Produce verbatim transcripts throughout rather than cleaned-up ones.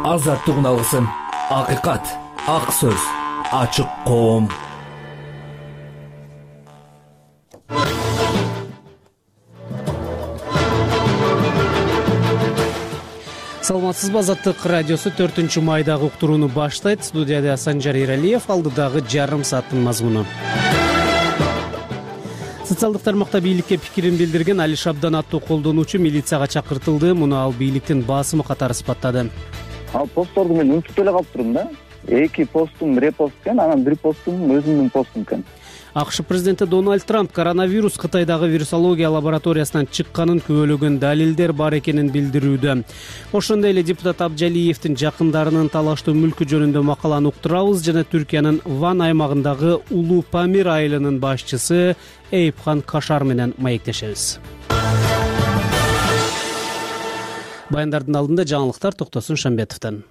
азаттыгын алгысың. Акыйкат, ак сөз, ачык коом. Саламатсызбы, Азаттык радиосу төртүнчү майдагы уктурууну баштайт. Студияда Санжар Иралиев, алдыдагы жарым сааттын мазмуну. Социалдык тармакта бийликке пикирин билдирген Али Шабдан аттуу колдонуучу милицияга чакыртылды. Муну ал бийликтин басымы катары сыпаттады. Ал постторду мен унутуп эле калыптырмын да. Эки постум репост экен, анан бир постум өзүмдүн постум экен. АКШ президенти Дональд Трамп коронавирус Кытайдагы вирусология лабораториясынан чыкканын күбөлөгөн далилдер бар экенин билдирүүдө. Ошондой эле депутат Абжалиевдин жакындарынын талаштуу мүлкү жөнүндө макаланы уктурабыз жана Түркиянын Ван аймагындагы Улуу Памир айылынын башчысы Эйипхан Кашар менен маектешебиз. Баяндардын алдында жаңылыктар Токтосун Шамбетовдон.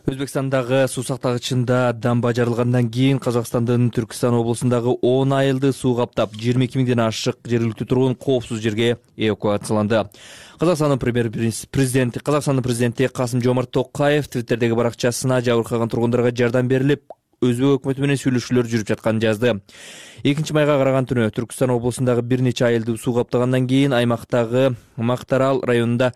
Өзбекстандагы суу сактагычында дамба жарылгандан кийин Казакстандын Түркистан облусундагы он айылды суу каптап, жыйырма эки миңден ашык жергиликтүү тургун коопсуз жерге эвакуацияланды. Казакстандын премьер-президенти Казакстандын президенти Касым-Жомарт Токаев Твиттердеги баракчасына жабыркаган тургундарга жардам берилип, Өзбек өкмөтү менен сүйлөшүүлөр жүрүп жатканын жазды. экинчи майга караган түнү Түркистан облусундагы бир нече айылды суу каптагандан кийин аймактагы Мактарал районунда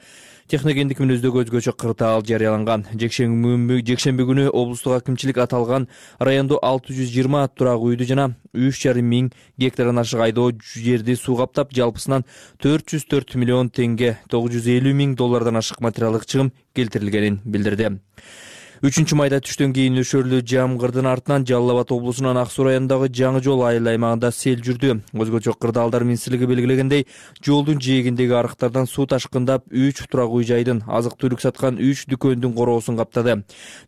техногендик мүнөздөгү өзгөчө кырдаал жарыяланган. Жекшемби күнү облустук акимчилик аталган райондо алты жүз жыйырма турак үйдү жана үч жарым миң гектардан ашык айдоо жерди суу каптап, жалпысынан төрт жүз төрт миллион теңге, тогуз жүз элүү миң доллардан ашык материалдык чыгым келтирилгенин билдирди. үчүнчү майда түштөн кийин нөшөрлүү жамгырдын артынан Жалал Абад облусунун Ак Суу районундагы Жаңы жол айыл аймагында сел жүрдү. Өзгөчө кырдаалдар министрлиги белгилегендей, жолдун жээгиндеги арыктардан суу ташкындап, үч турак үй жайдын, азык-түлүк саткан үч дүкөндүн короосун каптады.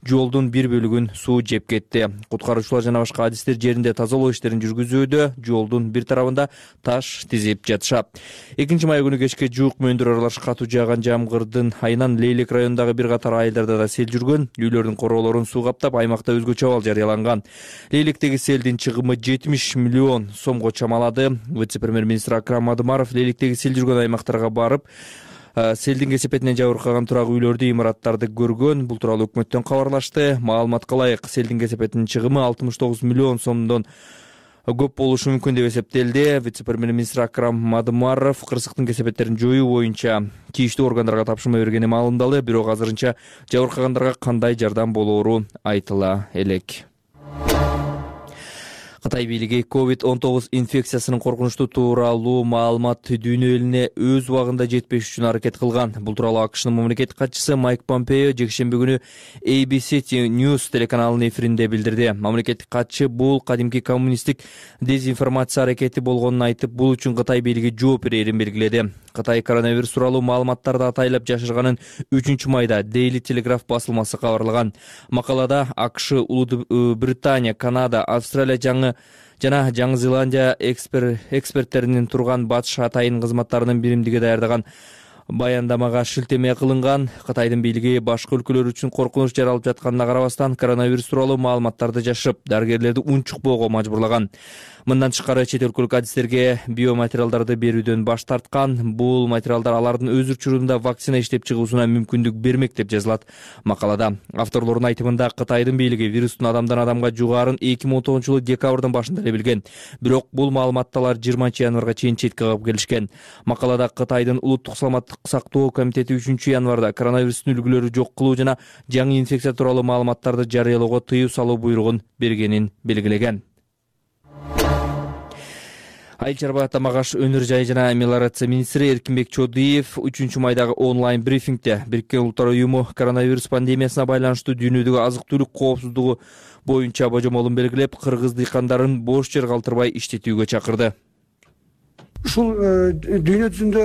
Жолдун бир бөлүгүн суу жеп кетти. Куткаруучулар жана башка адистер жеринде тазалоо иштерин жүргүзүүдө, жолдун бир тарабында таш тизип жатышат. экинчи май күнү кечке жуук мөөндөр аралаш катуу жааган жамгырдын айынан Лейлек районундагы бир катар айылдарда да сел жүргөн. Үйлөрдүн короолорун суу каптап, аймакта өзгөчө абал жарыяланган. Лейлектеги селдин чыгымы жетимиш миллион сомго чамалады. Вице-премьер-министр Акрам Мадымаров Лейлектеги сел жүргөн аймактарга барып, селдин кесепетинен жабыркаган турак үйлөрдү, имараттарды көргөн. Бул тууралуу өкмөттөн кабарлашты. Маалыматка ылайык, селдин кесепетинин чыгымы алтымыш тогуз миллион сомдон көп болушу мүмкүн деп эсептелди. Вице-премьер-министр Акрам Мадымаров кырсыктын кесепеттерин жоюу боюнча тийиштүү органдарга тапшырма бергени маалымдалды, бирок азырынча жабыркагандарга кандай жардам болоору айтыла элек. Кытай бийлиги ковид он тогуз инфекциясынын коркунучтуу тууралуу маалымат дүйнө элине өз убагында жетпеш үчүн аракет кылган. Бул тууралуу АКШнын мамлекеттик катчысы Майк Помпео жекшемби күнү A B C News телеканалынын эфиринде билдирди. Мамлекеттик катчы бул кадимки коммунисттик дезинформация аракети болгонун айтып, бул үчүн Кытай бийлиги жооп берерин белгиледи. Кытай коронавирус тууралуу маалыматтарды атайлап жашырганын үчүнчү майда Daily Telegraph басылмасы кабарлаган. Макалада АКШ, Улуу Британия, Канада, Австралия жаңы жана Жаңы Зеландия экспер, эксперттеринин турган батыш атайын кызматтарынын биримдиги даярдаган баяндамага шилтеме кылынган. Кытайдын бийлиги башка өлкөлөр үчүн коркунуч жаралып жатканына карабастан коронавирус тууралуу маалыматтарды жашырып, дарыгерлерди унчукпоого мажбурлаган. Мындан тышкары чет өлкөлүк адистерге биоматериалдарды берүүдөн баш тарткан. Бул материалдар алардын өз учурунда вакцина иштеп чыгуусуна мүмкүндүк бермек деп жазылат макалада. Авторлордун айтымында, Кытайдын бийлиги вирустун адамдан адамга жугаарын эки миң он тогузунчу жылы декабрдын башында эле билген. Бирок бул маалыматты алар жыйырманчы январга чейин четке кагып келишкен. Макалада Кытайдын улуттук саламаттык сактоо комитети үчүнчү январда коронавирустун үлгүлөрү жок кылуу жана жаңы инфекция тууралуу маалыматтарды жарыялоого тыюу салуу буйругун бергенин белгилеген. Айыл чарба тамак-аш, өнөр жай жана мелиорация министри Эркинбек Чодиев үчүнчү майдагы онлайн брифингде Бириккен Улуттар уюму коронавирус пандемиясына байланыштуу дүйнөдөгү азык-түлүк коопсуздугу боюнча божомолун белгилеп, кыргыз дыйкандарын бош жер калтырбай иштетүүгө чакырды. Ушул дүйнө жүзүндө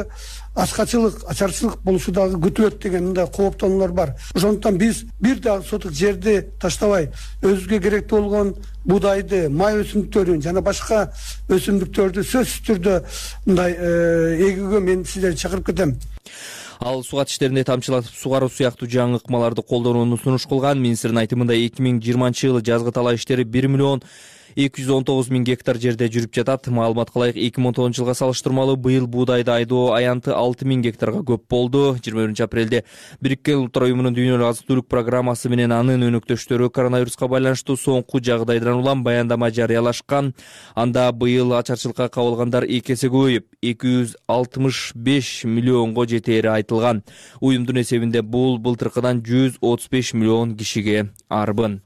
ачкачылык, ачарчылык болушу дагы күтүлөт деген мындай кооптонуулар бар. Ошондуктан биз бир дагы сотук жерди таштабай, өзүбүзгө керектүү болгон будайды, май өсүмдүктөрүн жана башка өсүмдүктөрдү сөзсүз түрдө мындай эгүүгө мен сиздерди чакырып кетем. Ал сугат иштеринде тамчылатып сугаруу сыяктуу жаңы ыкмаларды колдонууну сунуш кылган. Министрдин айтымында эки миң жыйырманчы жылы жазгы талаа иштери бир миллион эки жүз он тогуз миң гектар жерде жүрүп жатат. Маалыматка ылайык эки миң он тогузунчу жылга салыштырмалуу быйыл буудайды айдоо аянты алты миң гектарга көп болду. жыйырма биринчи апрелде Бириккен Улуттар уюмунун дүйнөлүк азык-түлүк программасы менен анын өнөктөштөрү коронавируска байланыштуу соңку жагдайдан улам баяндама жарыялашкан. Анда быйыл ачарчылыкка кабылгандар эки эсе көбөйүп, эки жүз алтымыш беш миллионго жетери айтылган. Уюмдун эсебинде бул былтыркыдан жүз отуз беш миллион кишиге арбын.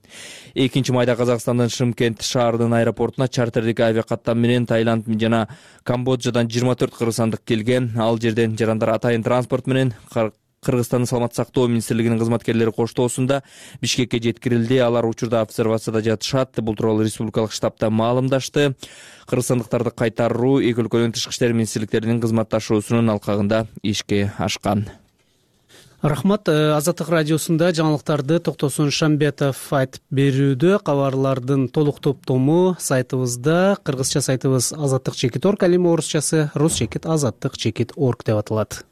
экинчи майда Казакстандын Шымкент шаарынын аэропортуна чартердик авиакаттам менен Таиланд жана Камбоджадан жыйырма төрт кыргызстандык келген. Ал жерден жарандар атайын транспорт менен Кыргызстандын саламаттык сактоо министрлигинин кызматкерлери коштоосунда Бишкекке жеткирилди. Алар учурда обсервацияда жатышат. Бул тууралуу республикалык штабта маалымдашты. Кыргызстандыктарды кайтаруу эки өлкөнүн тышкы иштер министрликтеринин кызматташуусунун алкагында ишке ашкан. Рахмат. Азаттык радиосунда жаңылыктарды Токтосун Шамбетов айтып берүүдө. Кабарлардын толук топтому сайтыбызда, кыргызча сайтыбыз азаттык чекит орг, ал эми орусчасы рус чекит азаттык чекит орг деп аталат.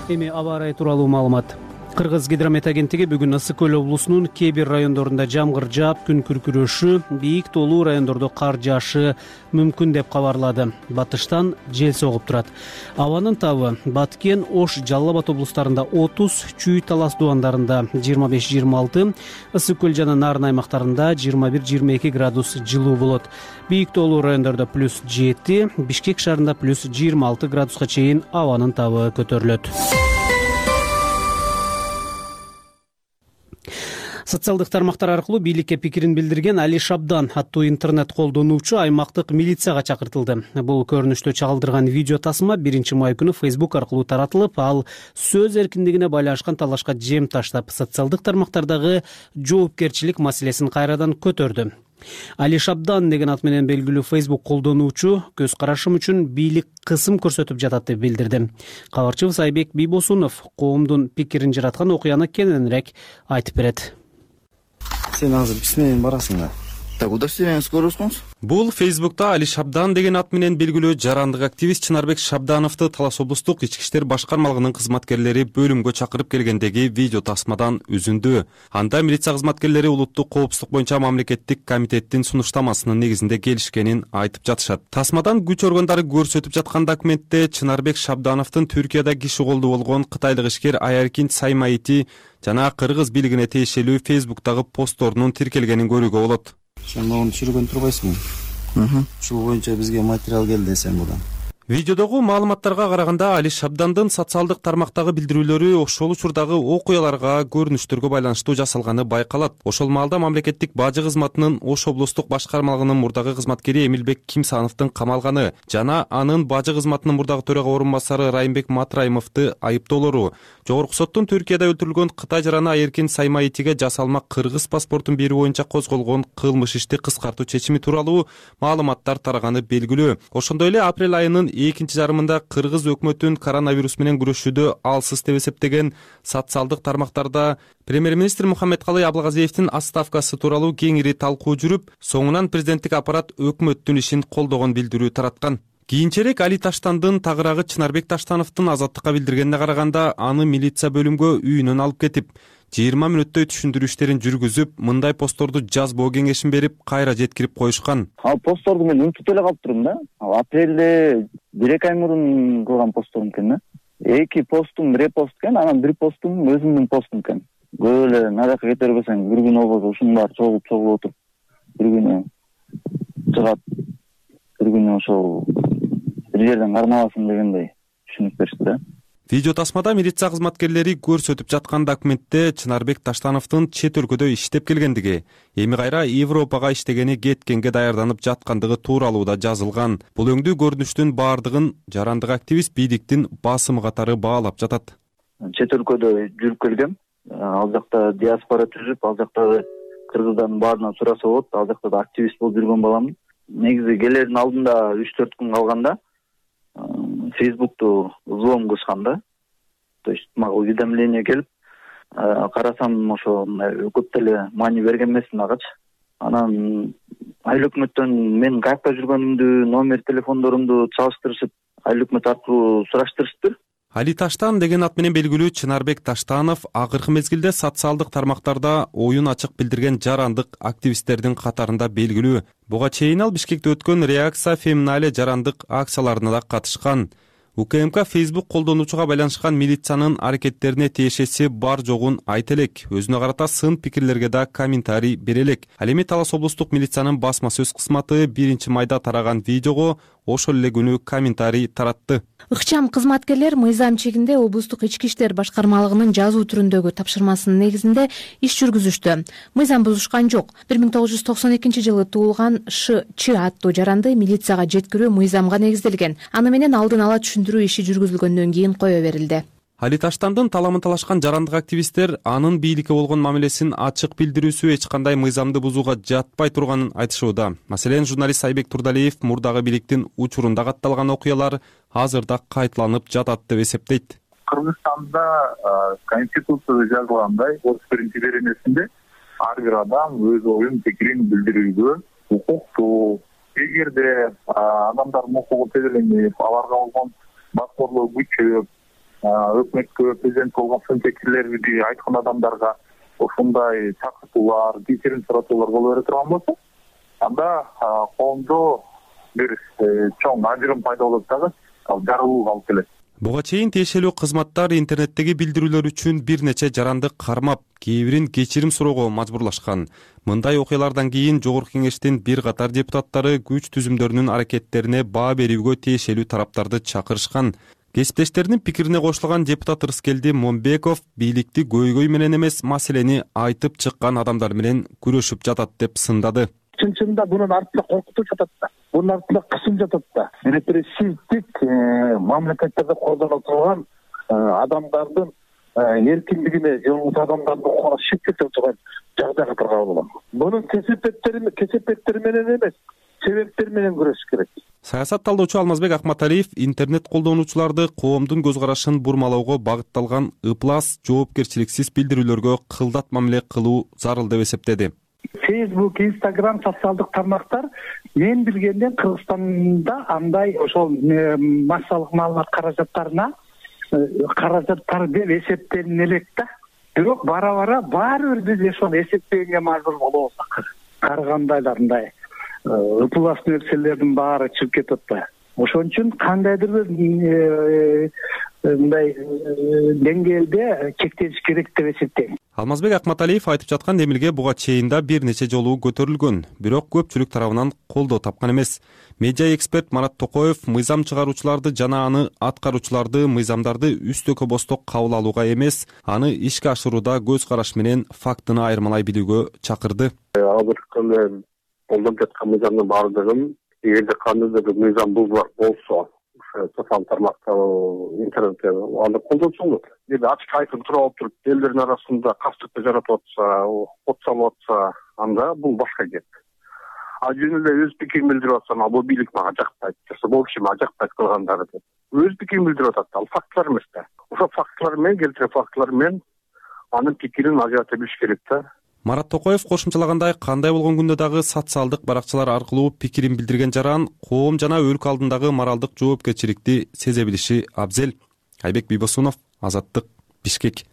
Эми аба ырайы тууралуу маалымат. Кыргыз гидромет агенттиги бүгүн Ысык көл облусунун кээ бир райондорунда жамгыр жаап, күн күркүрөшү, бийик тоолуу райондордо кар жаашы мүмкүн деп кабарлады. Батыштан жел согуп турат. Абанын табы Баткен, Ош, Жалал Абад облустарында отуз, Чүй, Талас дубандарында жыйырма беш жыйырма алты, Ысык көл жана Нарын аймактарында жыйырма бир жыйырма эки градус жылуу болот. Бийик тоолуу райондордо плюс жети, Бишкек шаарында плюс жыйырма алты градуска чейин абанын табы көтөрүлөт. Социалдык тармактар аркылуу бийликке пикирин билдирген Али Шабдан аттуу интернет колдонуучу аймактык милицияга чакыртылды. Бул көрүнүштө чагылдырган видео тасма биринчи май күнү Facebook аркылуу таратылып, ал сөз эркиндигине байланышкан талашка жем таштап, социалдык тармактардагы жоопкерчилик маселесин кайрадан көтөрдү. Али Шабдан деген ат менен белгилүү Facebook колдонуучу көз карашым үчүн бийлик кысым көрсөтүп жатат деп билдирди. Кабарчыбыз Айбек Бийбосунов коомдун пикирин жараткан окуяны кененирээк айтып берет. Сен азыр биз менен барасың да. Так, куда сен скоросуңуз? Бул Facebook'та Али Шабдан деген ат менен белгилүү жарандык активист Чынарбек Шабдановду Талас облустук ички иштер башкармалыгынын кызматкерлери бөлүмгө чакырып келгендеги видео тасмадан үзүндү. Анда милиция кызматкерлери улуттук коопсуздук боюнча мамлекеттик комитеттин сунуштамасынын негизинде келишкенин айтып жатышат. Тасмадан күч органдары көрсөтүп жаткан документте Чынарбек Шабдановдун Түркияда киши колду болгон кытайлык ишкер Аяркин Саймаити жана кыргыз бийлигине тиешелүү Facebook'тагы постторунун тиркелгенин көрүүгө болот. Сен муну түшүргөн турбайсыңбы? Ушул боюнча бизге материал келди десем будан. Видеодогу маалыматтарга караганда Али Шабдандын социалдык тармактагы билдирүүлөрү ошол учурдагы окуяларга, көрүнүштөргө байланыштуу жасалганы байкалат. Ошол маалда мамлекеттик бажы кызматынын Ош облустук башкармалыгынын мурдагы кызматкери Эмилбек Кимсановдун камалганы жана анын бажы кызматынын мурдагы төрага орун басары Райымбек Матраимовду айыптоолору, жогорку соттун Түркияда өлтүрүлгөн Кытай жараны Аяркин Саймаитиге жасалма кыргыз паспортун берүү боюнча козголгон кылмыш ишти кыскартуу чечими тууралуу маалыматтар тараганы белгилүү. Ошондой эле апрель айынын экинчи жарымында кыргыз өкмөтүн коронавирус менен күрөшүүдө алсыз деп эсептеген социалдык тармактарда премьер-министр Мухаммедкалый Абылгазиевдин отставкасы тууралуу кеңири талкуу жүрүп, соңунан президенттик аппарат өкмөттүн ишин колдогон билдирүү тараткан. Кийинчерээк Али Таштандын тагыраагы Чынарбек Таштановдун азаттыкка билдиргенине караганда, аны милиция бөлүмгө үйүнөн алып кетип, жыйырма мүнөттөй түшүндүрүү иштерин жүргүзүп, мындай постторду жазбоо кеңешин берип, кайра жеткирип коюшкан. Ал постторду мен унутуп эле калыптырмын да. Ал апрелде бир эки ай мурун кылган постторум экен да. Эки постум репост экен, анан бир постум өзүмдүн постум экен. Көп эле надакка кете бербесең, бир күн болбосо ушунун баары чогулуп чогулуп отуруп, бир күнү чыгат, бир күнү ошол бир жерден кармаласың дегендей түшүнүк беришти да. Видео тасмада милиция кызматкерлери көрсөтүп жаткан документте Чынарбек Таштановдун чет өлкөдө иштеп келгендиги, эми кайра Европага иштегени, кеткенге даярданып жаткандыгы тууралуу да жазылган. Бул өңдүү көрүнүштүн баардыгын жарандык активист бийликтин басымы катары баалап жатат. Чет өлкөдө жүрүп келгем, ал жакта диаспора түзүп, ал жакта кыргыздардын баарынан сураса болот, ал жакта да активист болуп жүргөн баламын. Негизи келердин алдында үч төрт күн калганда Facebook'ту взлом кылышкан да. То есть мага уведомление келип, карасам ошо көп деле маани берген эмесмин агачы. Анан айыл өкмөттөн мен каякта жүргөнүмдү, номер телефондорумду чалыштырышып, айыл өкмөт аркылуу сураштырышыптыр. Али Таштан деген ат менен белгилүү Чынарбек Таштанов акыркы мезгилде социалдык тармактарда оюн ачык билдирген жарандык активисттердин катарында белгилүү. Буга чейин ал Бишкекте өткөн Реакция Феминале жарандык акцияларына да катышкан. УКМК Facebook колдонуучуга байланышкан милициянын аракеттерине тиешеси бар жогун айта элек, өзүнө карата сын пикирлерге да комментарий бере элек. Ал эми Талас облустук милициянын басма сөз кызматы биринчи майда тараган видеого ошол эле күнү комментарий таратты. Ыкчам кызматкерлер мыйзам чегинде облустук ички иштер башкармалыгынын жазуу түрүндөгү тапшырмасынын негизинде иш жүргүзүштү. Мыйзам бузушкан жок. бир миң тогуз жүз токсон экинчи жылы туулган Ш Ч аттуу жаранды милицияга жеткирүү мыйзамга негизделген. Аны менен алдын ала түшүндүрүү иши жүргүзүлгөндөн кийин кое берилди. Али Таштандын таламын талашкан жарандык активисттер анын бийликке болгон мамилесин ачык билдирүүсү эч кандай мыйзамды бузууга жатпай турганын айтышууда. Маселен, журналист Айбек Турдалиев мурдагы бийликтин учурунда катталган окуялар азырда кайталанып жатат деп эсептейт. Кыргызстанда конституцияда жазылгандай отуз биринчи беренесинде ар бир адам өз оюн пикирин билдирүүгө укуктуу. Эгерде адамдардын укугу теделенип, аларга болгон баскорлоо күчөп, өкмөткө, президент болгон сын пикирлерди айткан адамдарга ошондой чакыртуулар, кечирим суратуулар боло бере турган болсо, анда коомдо бир чоң ажырым пайда болот дагы, ал жарылууга алып келет. Буга чейин тиешелүү кызматтар интернеттеги билдирүүлөр үчүн бир нече жаранды кармап, кээ бирин кечирим суроого мажбурлашкан. Мындай окуялардан кийин Жогорку Кеңештин бир катар депутаттары күч түзүмдөрүнүн аракеттерине баа берүүгө тиешелүү тараптарды чакырышкан. Кесиптештеринин пикирине кошулган депутат Рыскелди Момбеков бийликти көйгөй менен эмес, маселени айтып чыккан адамдар менен күрөшүп жатат деп сындады. Чын-чынында bunun артында коркутуу жатат да. Bunun артында кысым жатат да. Репрессивдик мамлекеттерде колдонулган адамдардын эркиндигине, же адамдардын укугуна шектеп турган жагдайга тарган болгон. Bunun кесепеттери кесепеттери менен эмес, себептер менен күрөшүш керек. Саясат талдоочу Алмазбек Акматалиев интернет колдонуучуларды коомдун көз карашын бурмалоого багытталган ыплас, жоопкерчиликсиз билдирүүлөргө кылдат мамиле кылуу зарыл деп эсептеди. Facebook, Instagram социалдык тармактар мен билгенден Кыргызстанда андай ошол массалык маалымат каражаттарына каражаттар деп эсептелине элек да. Бирок бара-бара баары бир биз ошону эсептегенге мажбур болобуз. Карагандайларындай ыплас нерселердин баары чыгып кетет да. Ошон үчүн кандайдыр бир мындай деңгээлде чектелиш керек деп эсептейм. Алмазбек Акматалиев айтып жаткан демилге буга чейин да бир нече жолу көтөрүлгөн, бирок көпчүлүк тарабынан колдоо тапкан эмес. Медиа эксперт Марат Токоев мыйзам чыгаруучуларды жана аны аткаруучуларды мыйзамдарды үстөкө босток кабыл алууга эмес, аны ишке ашырууда көз караш менен фактыны айырмалай билүүгө чакырды. Азыркы колдонуп жаткан мыйзамдын баардыгын эгерде кандайдыр бир мыйзам бузуулар болсо, социалдык тармакта, интернетте аны колдонсо болот. Эгерде ачык айкын туруп алып туруп, элдердин арасында кастыкты жаратып атса, от салып атса, анда бул башка кеп. А жөн эле өз пикирин билдирип атсам, бул бийлик мага жакпайт, бул киши мага жакпайт кылгандары деп. Өз пикирин билдирип атат, ал фактылар эмес да. Ошо фактылар менен, келтирген фактылар менен анын пикирин ажырата билиш керек да. Марат Токоев кошумчалагандай, кандай болгон күндө дагы социалдык баракчалар аркылуу пикирин билдирген жаран коом жана өлкө алдындагы моралдык жоопкерчиликти сезе билиши абзел. Айбек Бийбосунов, Азаттык, Бишкек.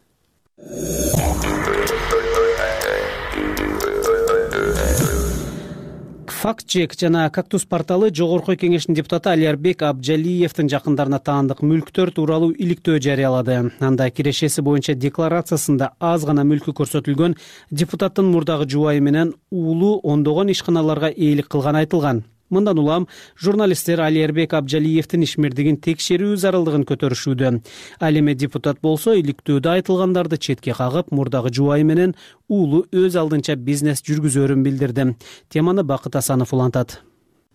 Фактчек жана Кактус порталы Жогорку Кеңештин депутаты Алиарбек Абджалиевдин жакындарына таандык мүлктөр тууралуу иликтөө жарыялады. Анда кирешеси боюнча декларациясында аз гана мүлкү көрсөтүлгөн депутаттын мурдагы жубайы менен уулу ондогон ишканаларга ээлик кылганы айтылган. Мындан улам журналисттер Алиарбек Абджалиевдин ишмердигин текшерүү зарылдыгын көтөрүшүүдө. Ал эми депутат болсо иликтөөдө айтылгандарды четке кагып, мурдагы жубайы менен уулу өз алдынча бизнес жүргүзөрүн билдирди. Теманы Бакыт Асанов улантат.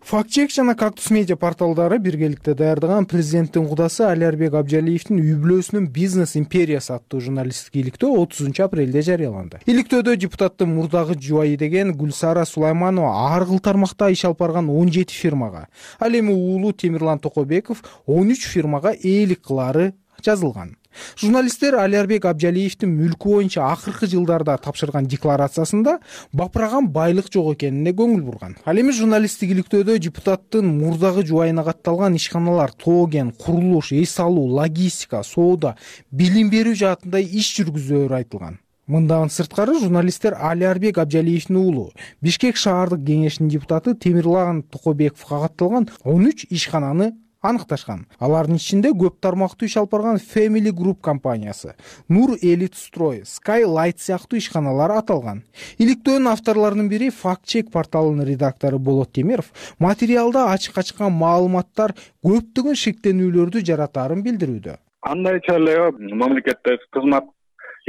Фактчек жана Кактус медиа порталдары биргеликте даярдаган президенттин кудасы Алиарбек Абджалиевдин үй бүлөсүнүн бизнес империясы аттуу журналисттик иликтөө отузунчу апрелде жарыяланды. Иликтөөдө депутаттын мурдагы жубайы деген Гүлсара Сулайманова ар кыл тармакта иш алып барган он жети фирмага, ал эми уулу Темирлан Токобеков он үч фирмага ээлик кылаары жазылган. Журналисттер Алиарбек Абжалиевдин мүлкү боюнча акыркы жылдарда тапшырган декларациясында бапыраган байлык жок экенине көңүл бурган. Ал эми журналисттик иликтөөдө депутаттын мурдагы жубайына катталган ишканалар тоген, курулуш, эс алуу, логистика, соода, билим берүү жаатында иш жүргүзөөрү айтылган. Мындан сырткары журналисттер Алиарбек Абжалиевдин уулу, Бишкек шаардык кеңешинин депутаты Темирлан Токобековго катталган он үч ишкананы аныкташкан. Алардын ичинде көп тармактуу иш алып барган Family Group компаниясы, Нур Элит Строй, Skylight сыяктуу ишканалар аталган. Иликтөөнүн авторлорунун бири Fact Check порталынын редактору Болот Темиров материалда ачыкка чыккан маалыматтар көптөгөн шектенүүлөрдү жаратаарын билдирүүдө. Андайча эле мамлекетте кызмат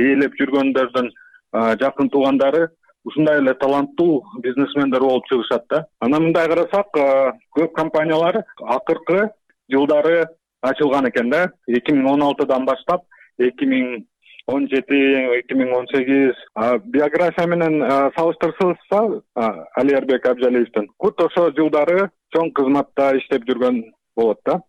ээлеп жүргөндөрдүн жакын туугандары ушундай эле таланттуу бизнесмендер болуп чыгышат да. Анан мындай карасак, көп компаниялар акыркы жылдары ачылган экен да. эки миң он алтыдан баштап эки миң он жети, эки миң он сегиз биография менен салыштырсак, Алиарбек Абжалиевдин кут ошо жылдары чоң кызматта иштеп жүргөн болот да.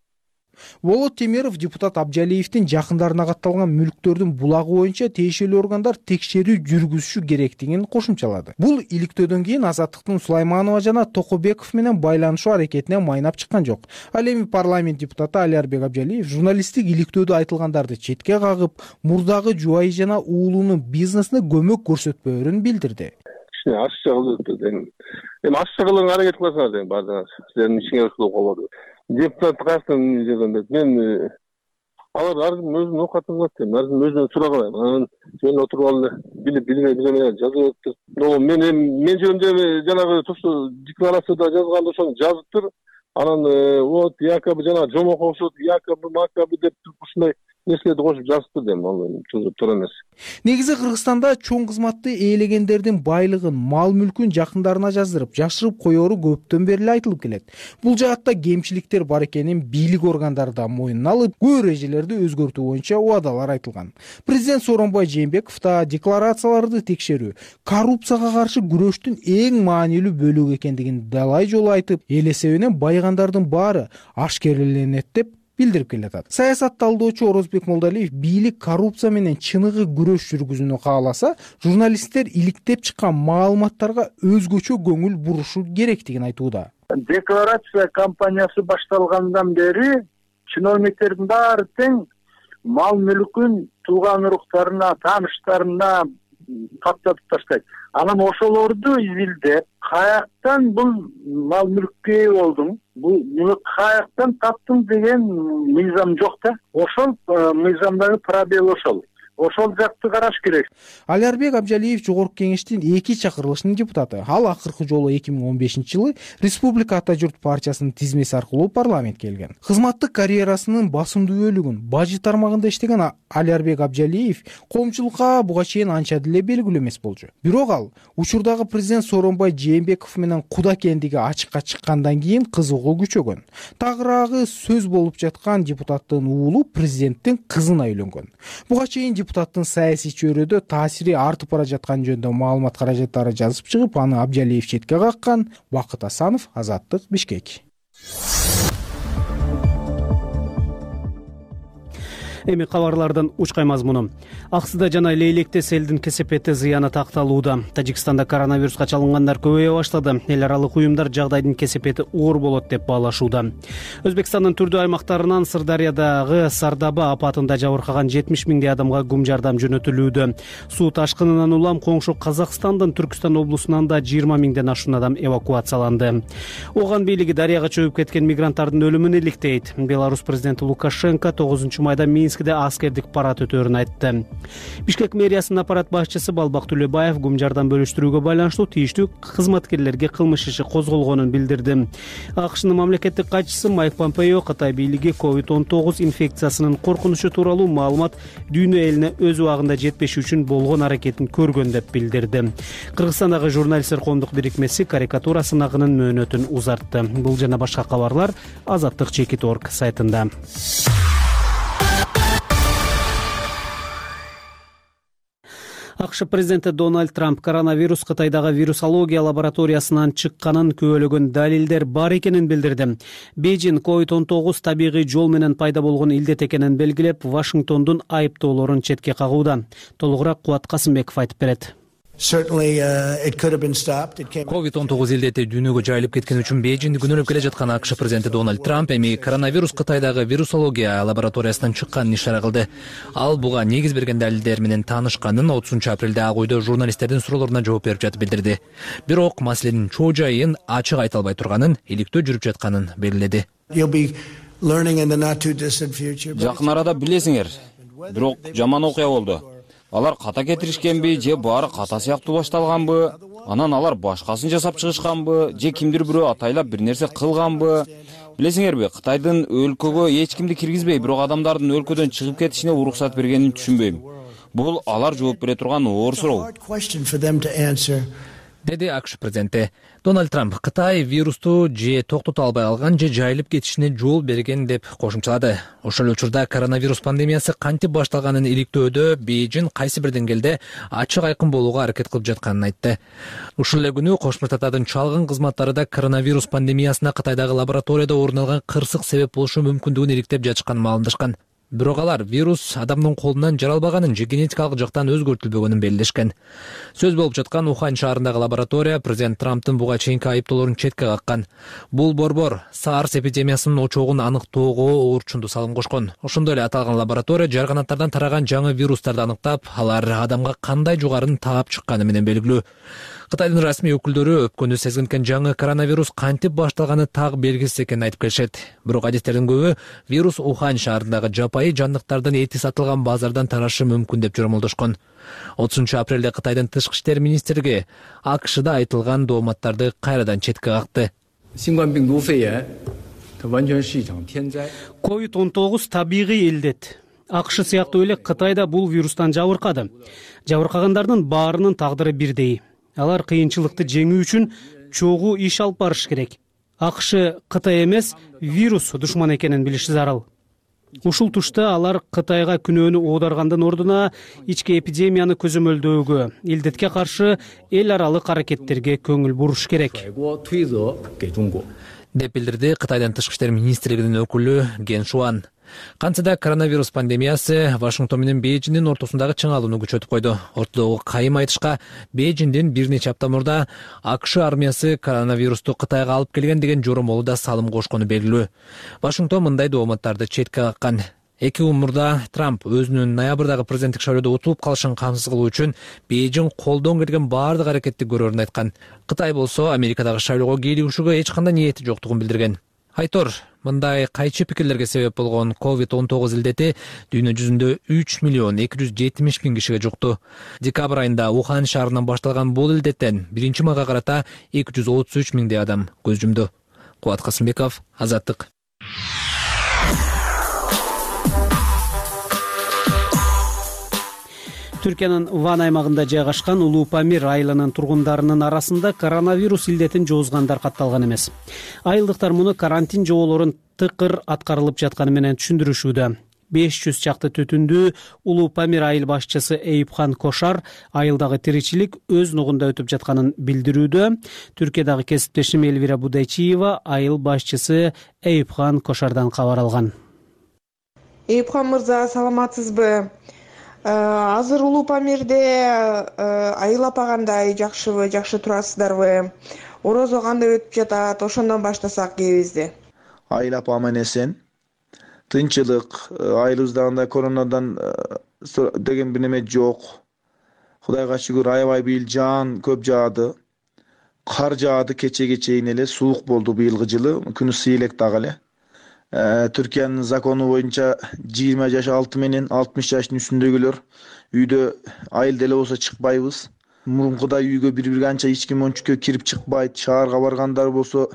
Болот Темиров депутат Абжалиевдин жакындарына катталган мүлктөрдүн булагы боюнча тиешелүү органдар текшерүү жүргүзүшү керектигин кошумчалады. Бул иликтөөдөн кийин Азаттыктын Сулайманова жана Токобеков менен байланышуу аракетине майнап чыккан жок. Ал эми парламент депутаты Алиарбек Абжалиев журналисттик иликтөөдө айтылгандарды четке кагып, мурдагы жубайы жана уулунун бизнесине көмөк көрсөтпөөрүн билдирди. Ашча кылып, эми ашча кылууга аракет кыласыңар деген баардыгыңар. Силердин ишиңер ушул болду. Депутат кайсынан жүргөндө мен алар ар ким өзүнүн оокатын кылат дейм, ар ким өзүнөн сураган. Анан жөн отуруп алып билип билбей билбей жазып атыптыр. Но мен мен жөнүндө жанагы тошо декларацияда жазганда ошону жазыптыр. Анан вот якобы жана жомок окшот, якобы макабы деп ушундай нерселерди кошуп жазыптыр дейм, ал туура эмес. Негизи Кыргызстанда чоң кызматты ээлегендердин байлыгын, мал мүлкүн жакындарына жаздырып, жашырып коёру көптөн бери эле айтылып келет. Бул жаатта кемчиликтер бар экенин бийлик органдары да мойнуна алып, көп эрежелерди өзгөртүү боюнча убадалар айтылган. Президент Сооронбай Жээнбеков да декларацияларды текшерүү коррупцияга каршы күрөштүн эң маанилүү бөлүгү экендигин далай жолу айтып, эл эсебинен байыгандардын баары ашкереленет деп билдирип келатат. Саясат талдоочу Орозбек Молдалиев бийлик коррупция менен чыныгы күрөш жүргүзүүнү кааласа, журналисттер иликтеп чыккан маалыматтарга өзгөчө көңүл бурушу керектигин айтууда. Декларация кампаниясы башталгандан бери чиновниктердин баары тең мал мүлкүн тууган уруктарына, тааныштарына каттатып таштайт. Анан ошолорду изилдеп, каяктан бул мал мүлккө ээ болдуң, бул каяктан таптың деген мыйзам жок да. Ошол мыйзамдагы пробел ошол. Ошол жакты караш керек. Алиарбек Абжалиев Жогорку кеңештин эки чакырылышынын депутаты. Ал акыркы жолу эки миң он бешинчи жылы Республика Ата журт партиясынын тизмеси аркылуу парламентке келген. Кызматтык карьерасынын басымдуу бөлүгүн бажы тармагында иштеген Алиарбек Абжалиев коомчулукка буга чейин анча деле белгилүү эмес болчу. Бирок ал учурдагы президент Сооронбай Жээнбеков менен куда экендиги ачыкка чыккандан кийин кызыгуу күчөгөн. Тагыраагы сөз болуп жаткан депутаттын уулу президенттин кызына үйлөнгөн. Буга чейин депутаттын саясий чөйрөдө таасири артып бара жаткан жөнүндө маалымат каражаттары жазып чыгып, аны Абжалиев четке каккан. Бакыт Асанов, Азаттык, Бишкек. Эми кабарлардан учкай мазмуну. Аксыда жана Лейлекте селдин кесепети зыяны такталууда. Тажикстанда коронавируска чалынгандар көбөйө баштады. Эл аралык уюмдар жагдайдын кесепети оор болот деп баалашууда. Өзбекстандын түрдүү аймактарынан Сырдарыядагы Сардаба апатында жабыркаган жетимиш миңдей адамга гум жардам жөнөтүлүүдө. Суу ташкынынан улам коңшу Казакстандын Түркүстан облусунан да жыйырма миңден ашуун адам эвакуацияланды. Оган бийлиги дарыяга чөгүп кеткен мигранттардын өлүмүн иликтейт. Беларус президенти Лукашенко тогузунчу майда Минск аскердик парад өтөөрүн айтты. Бишкек мэриясынын аппарат башчысы Балбак Төлөбаев гум жардам бөлүштүрүүгө байланыштуу тийиштүү кызматкерлерге кылмыш иши козголгонун билдирди. АКШнын мамлекеттик катчысы Майк Помпео Кытай бийлиги ковид он тогуз инфекциясынын коркунучу тууралуу маалымат дүйнө элине өз убагында жетпеш үчүн болгон аракетин көргөн деп билдирди. Кыргызстандагы журналисттер коомдук бирикмеси карикатура сынагынын мөөнөтүн узартты. Бул жана башка кабарлар азаттык чекит точка орг сайтында. АКШ президенти Дональд Трамп коронавирус Кытайдагы вирусология лабораториясынан чыкканын күбөлөгөн далилдер бар экенин билдирди. Бейжин ковид он тогуз табигый жол менен пайда болгон илдет экенин белгилеп, Вашингтондун айыптоолорун четке кагууда. Толугураак Кубат Касымбеков айтып берет. ковид он тогуз илдети дүйнөгө жайылып кеткен үчүн Бейжинди күнөөлөп келе жаткан АКШ президенти Дональд Трамп эми коронавирус Кытайдагы вирусология лабораториясынан чыкканын ишара кылды. Ал буга негиз берген далилдер менен таанышканын отузунчу апрелде Ак үйдө журналисттердин суроолоруна жооп берип жатып билдирди. Бирок маселенин чоо жайын ачык айта албай турганын, иликтөө жүрүп жатканын белгиледи. Жакын арада билесиңер, бирок жаман окуя болду. Алар ката кетиришкенби, же баары ката сыяктуу башталганбы, анан алар башкасын жасап чыгышканбы, же кимдир бирөө атайлап бир нерсе кылганбы? Билесиңерби, Кытайдын өлкөгө эч кимди киргизбей, бирок адамдардын өлкөдөн чыгып кетишине уруксат бергенин түшүнбөйм. Бул алар жооп бере турган оор суроо. Деди АКШ президенти. Дональд Трамп Кытай вирусту же токтото албай алган, же жайылып кетишине жол берген деп кошумчалады. Ошол учурда коронавирус пандемиясы кантип башталганын иликтөөдө Бейжин кайсы бир деңгээлде ачык айкын болууга аракет кылып жатканын айтты. Ушул эле күнү Кошмо Штаттардын чалгын кызматтары да коронавирус пандемиясына Кытайдагы лабораторияда орун алган кырсык себеп болушу мүмкүндүгүн иликтеп жатышканын маалымдашкан. Бирок алар вирус адамдын колунан жаралбаганын же генетикалык жактан өзгөртүлбөгөнүн белгилешкен. Сөз болуп жаткан Ухань шаарындагы лаборатория президент Трамптын буга чейинки айыптоолорун четке каккан. Бул борбор SARS эпидемиясынын очогун аныктоого оорчунду салым кошкон. Ошондой эле аталган лаборатория жарганаттардан тараган жаңы вирустарды аныктап, алар адамга кандай жугарын таап чыкканы менен белгилүү. Кытайдын расмий өкүлдөрү өпкөнү сезгинткен жаңы коронавирус кантип башталганы так белгисиз экенин айтып келишет. Бирок адистердин көбү вирус Ухань шаарындагы жапайы жандыктардын эти сатылган базардан тарашы мүмкүн деп жормолдошкон. отузунчу апрелде Кытайдын тышкы иштер министрлиги АКШда айтылган дооматтарды кайрадан четке какты. ковид он тогуз табигый илдет. АКШ сыяктуу эле Кытайда бул вирустан жабыркады. Жабыркагандардын баарынын тагдыры бирдей. Алар кыйынчылыкты жеңүү үчүн чогуу иш алып барыш керек. АКШ Кытай эмес, вирус душман экенин билиши зарыл. Ушул тушта алар Кытайга күнөөнү оодаргандын ордуна ички эпидемияны көзөмөлдөөгө, илдетке каршы эл аралык аракеттерге көңүл буруш керек деп билдирди Кытайдын тышкы иштер министрлигинин өкүлү Ген Шуан. Кантсе да коронавирус пандемиясы Вашингтон менен Бейжиндин ортосундагы чыңалууну күчөтүп койду. Ортодогу кайым айтышка Бейжиндин бир нече апта мурда АКШ армиясы коронавирусту Кытайга алып келген деген жоромолу да салым кошкону белгилүү. Вашингтон мындай дооматтарды четке каккан. Эки күн мурда Трамп өзүнүн ноябрдагы президенттик шайлоодо утулуп калышын камсыз кылуу үчүн Бейжин колдон келген баардык аракетти көрөрүн айткан. Кытай болсо Америкадагы шайлоого кийлигишүүгө эч кандай ниети жоктугун билдирген. Айтор, мындай кайчы пикирлерге себеп болгон ковид он тогуз илдети дүйнө жүзүндө үч миллион эки жүз жетимиш миң кишиге жукту. Декабрь айында Ухань шаарынан башталган бул илдеттен биринчи майга карата эки жүз отуз үч миңдей адам көз жумду. Кубат Касымбеков, Азаттык. Түркиянын Ван аймагында жайгашкан Улуу Памир айылынын тургундарынын арасында коронавирус илдетин жоозгандар катталган эмес. Айылдыктар муну карантин жоболорун тыкыр аткарылып жатканы менен түшүндүрүшүүдө. беш жүз чакты түтүндүү Улуу Памир айыл башчысы Эйипхан Кошар айылдагы тиричилик өз нугунда өтүп жатканын билдирүүдө. Түркиядагы кесиптешим Элвира Будайчиева айыл башчысы Эйипхан Кошардан кабар алган. Эйипхан мырза, саламатсызбы? Азыр Улуу Памирде айыл апа кандай, жакшыбы, жакшы турасыздарбы? Орозо кандай өтүп жатат? Ошондон баштасак кебизди. Айыл апа аман эсен. Тынчылык, айылыбызда коронадан деген бир неме жок. Кудайга шүгүр, аябай быйыл жаан көп жаады. Кар жаады кечеге чейин эле, суук болду быйылгы жылы, күнү ысый элек дагы эле. Түркиянын закону боюнча жыйырма жаш алты менен алтымыш жаштын үстүндөгүлөр үйдө айыл деле болсо чыкпайбыз. Мурункудай үйгө бири-бири анча эч ким ончукка кирип чыкпайт. Шаарга баргандар болсо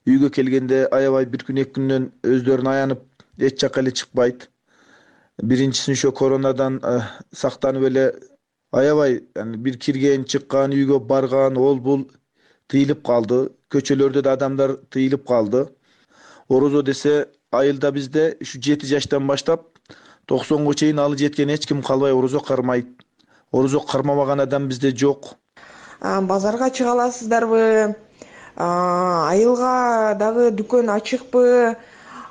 үйгө келгенде аябай бир күн эки күндөн өздөрүн аянып эч жакка эле чыкпайт. Биринчиси ошо коронадан сактанып эле аябай бир кирген, чыккан, үйгө барган, ол бул тыйылып калды. Көчөлөрдө да адамдар тыйылып калды. Орозо десе айылда бизде ушу жети жаштан баштап токсонго чейин алы жеткен эч ким калбай орозо кармайт. орозо кармабаган адам бизде жок. Базарга чыга аласыздарбы? Айылга дагы дүкөн ачыкпы?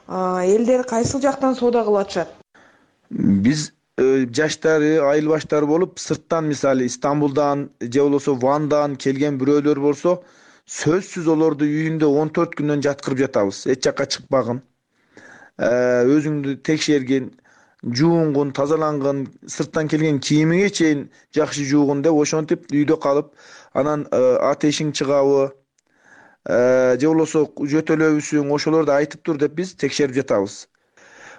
Элдер кайсыл жактан соода кылып атышат? Биз жаштары, айыл баштары болуп, сырттан мисалы Стамбулдан же болбосо Вандан келген бирөөлөр болсо, сөзсүз олорду үйүндө он төрт күндөн жаткырып жатабыз. Эч жакка чыкпагын, өзүңдү текшергин, жуунгун, тазалангын, сырттан келген кийимиңе чейин жакшы жуугун деп ошентип үйдө калып, анан атешиң чыгабы, же болбосо жөтөлөбүсүң, ошолорду айтып тур деп биз текшерип жатабыз.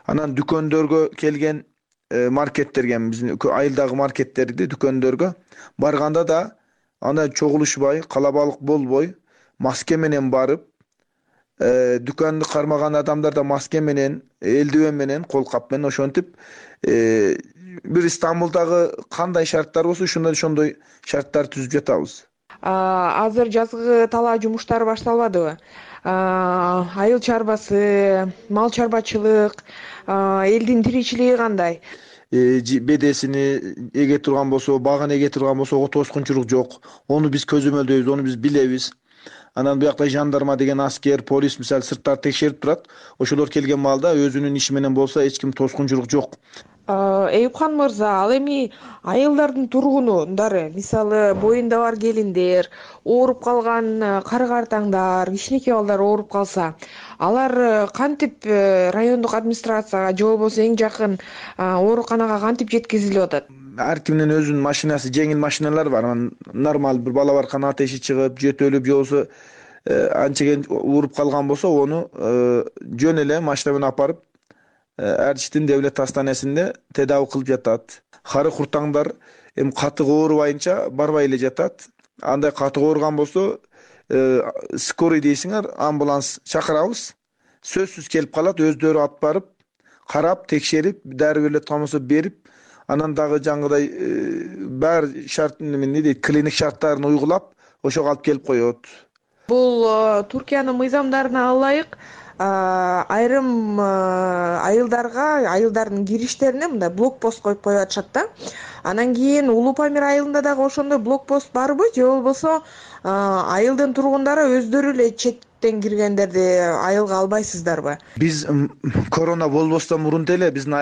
Анан дүкөндөргө келген, маркеттерге, биздин айылдагы маркеттерди дүкөндөргө барганда да анда чогулушпай, калабалык болбой, маска менен барып, дүкөндү кармаган адамдар да маска менен, элдивен менен, кол кап менен ошентип, бир Стамбулдагы кандай шарттар болсо, ошондой ошондой шарттар түзүп жатабыз. Азыр жазгы талаа жумуштары башталбадыбы? Айыл чарбасы, мал чарбачылык, элдин тиричилиги кандай? Бедесини эге турган болсо, багын эге турган болсо, ого тоскунчулук жок. Ону биз көзөмөлдөйбүз, ону биз билебиз. Анан буякта жандарма деген аскер, полис мисалы сырттар текшерип турат. Ошолор келген маалда өзүнүн иши менен болсо, эч ким тоскунчулук жок. Эюпхан мырза, ал эми айылдардын тургундары, мисалы боюнда бар келиндер, ооруп калган кары-картаңдар, кичинекей балдар ооруп калса, алар кантип райондук администрацияга же болбосо эң жакын ооруканага кантип жеткизилип атат? Ар кимдин өзүнүн машинасы, жеңил машиналар бар. Анан нормал бир бала баркан атеши чыгып, жөтөлүп же болбосо анчеген ооруп калган болсо, ону жөн эле машина менен алып барып Эрчиштин девлет астанасында тедави кылып жатат. Кары куртаңдар эми катык оорубайынча барбай эле жатат. Андай катык ооруган болсо, скорый дейсиңер, амбуланс чакырабыз. Сөзсүз келип калат, өздөрү алып барып, карап, текшерип, дару берилет болсо берип, анан дагы жаңгыдай баары шарт эмне дейт, клиник шарттарын уйгулап, ошого алып келип коет. Бул Туркиянын мыйзамдарына ылайык айрым айылдарга, айылдардын кириштерине мындай блокпост коюп коюп атышат да. Анан кийин Улуу Памир айылында дагы ошондой блокпост барбы, же болбосо айылдын тургундары өздөрү эле четтен киргендерди айылга албайсыздарбы? Биз корона болбостон мурун деле биздин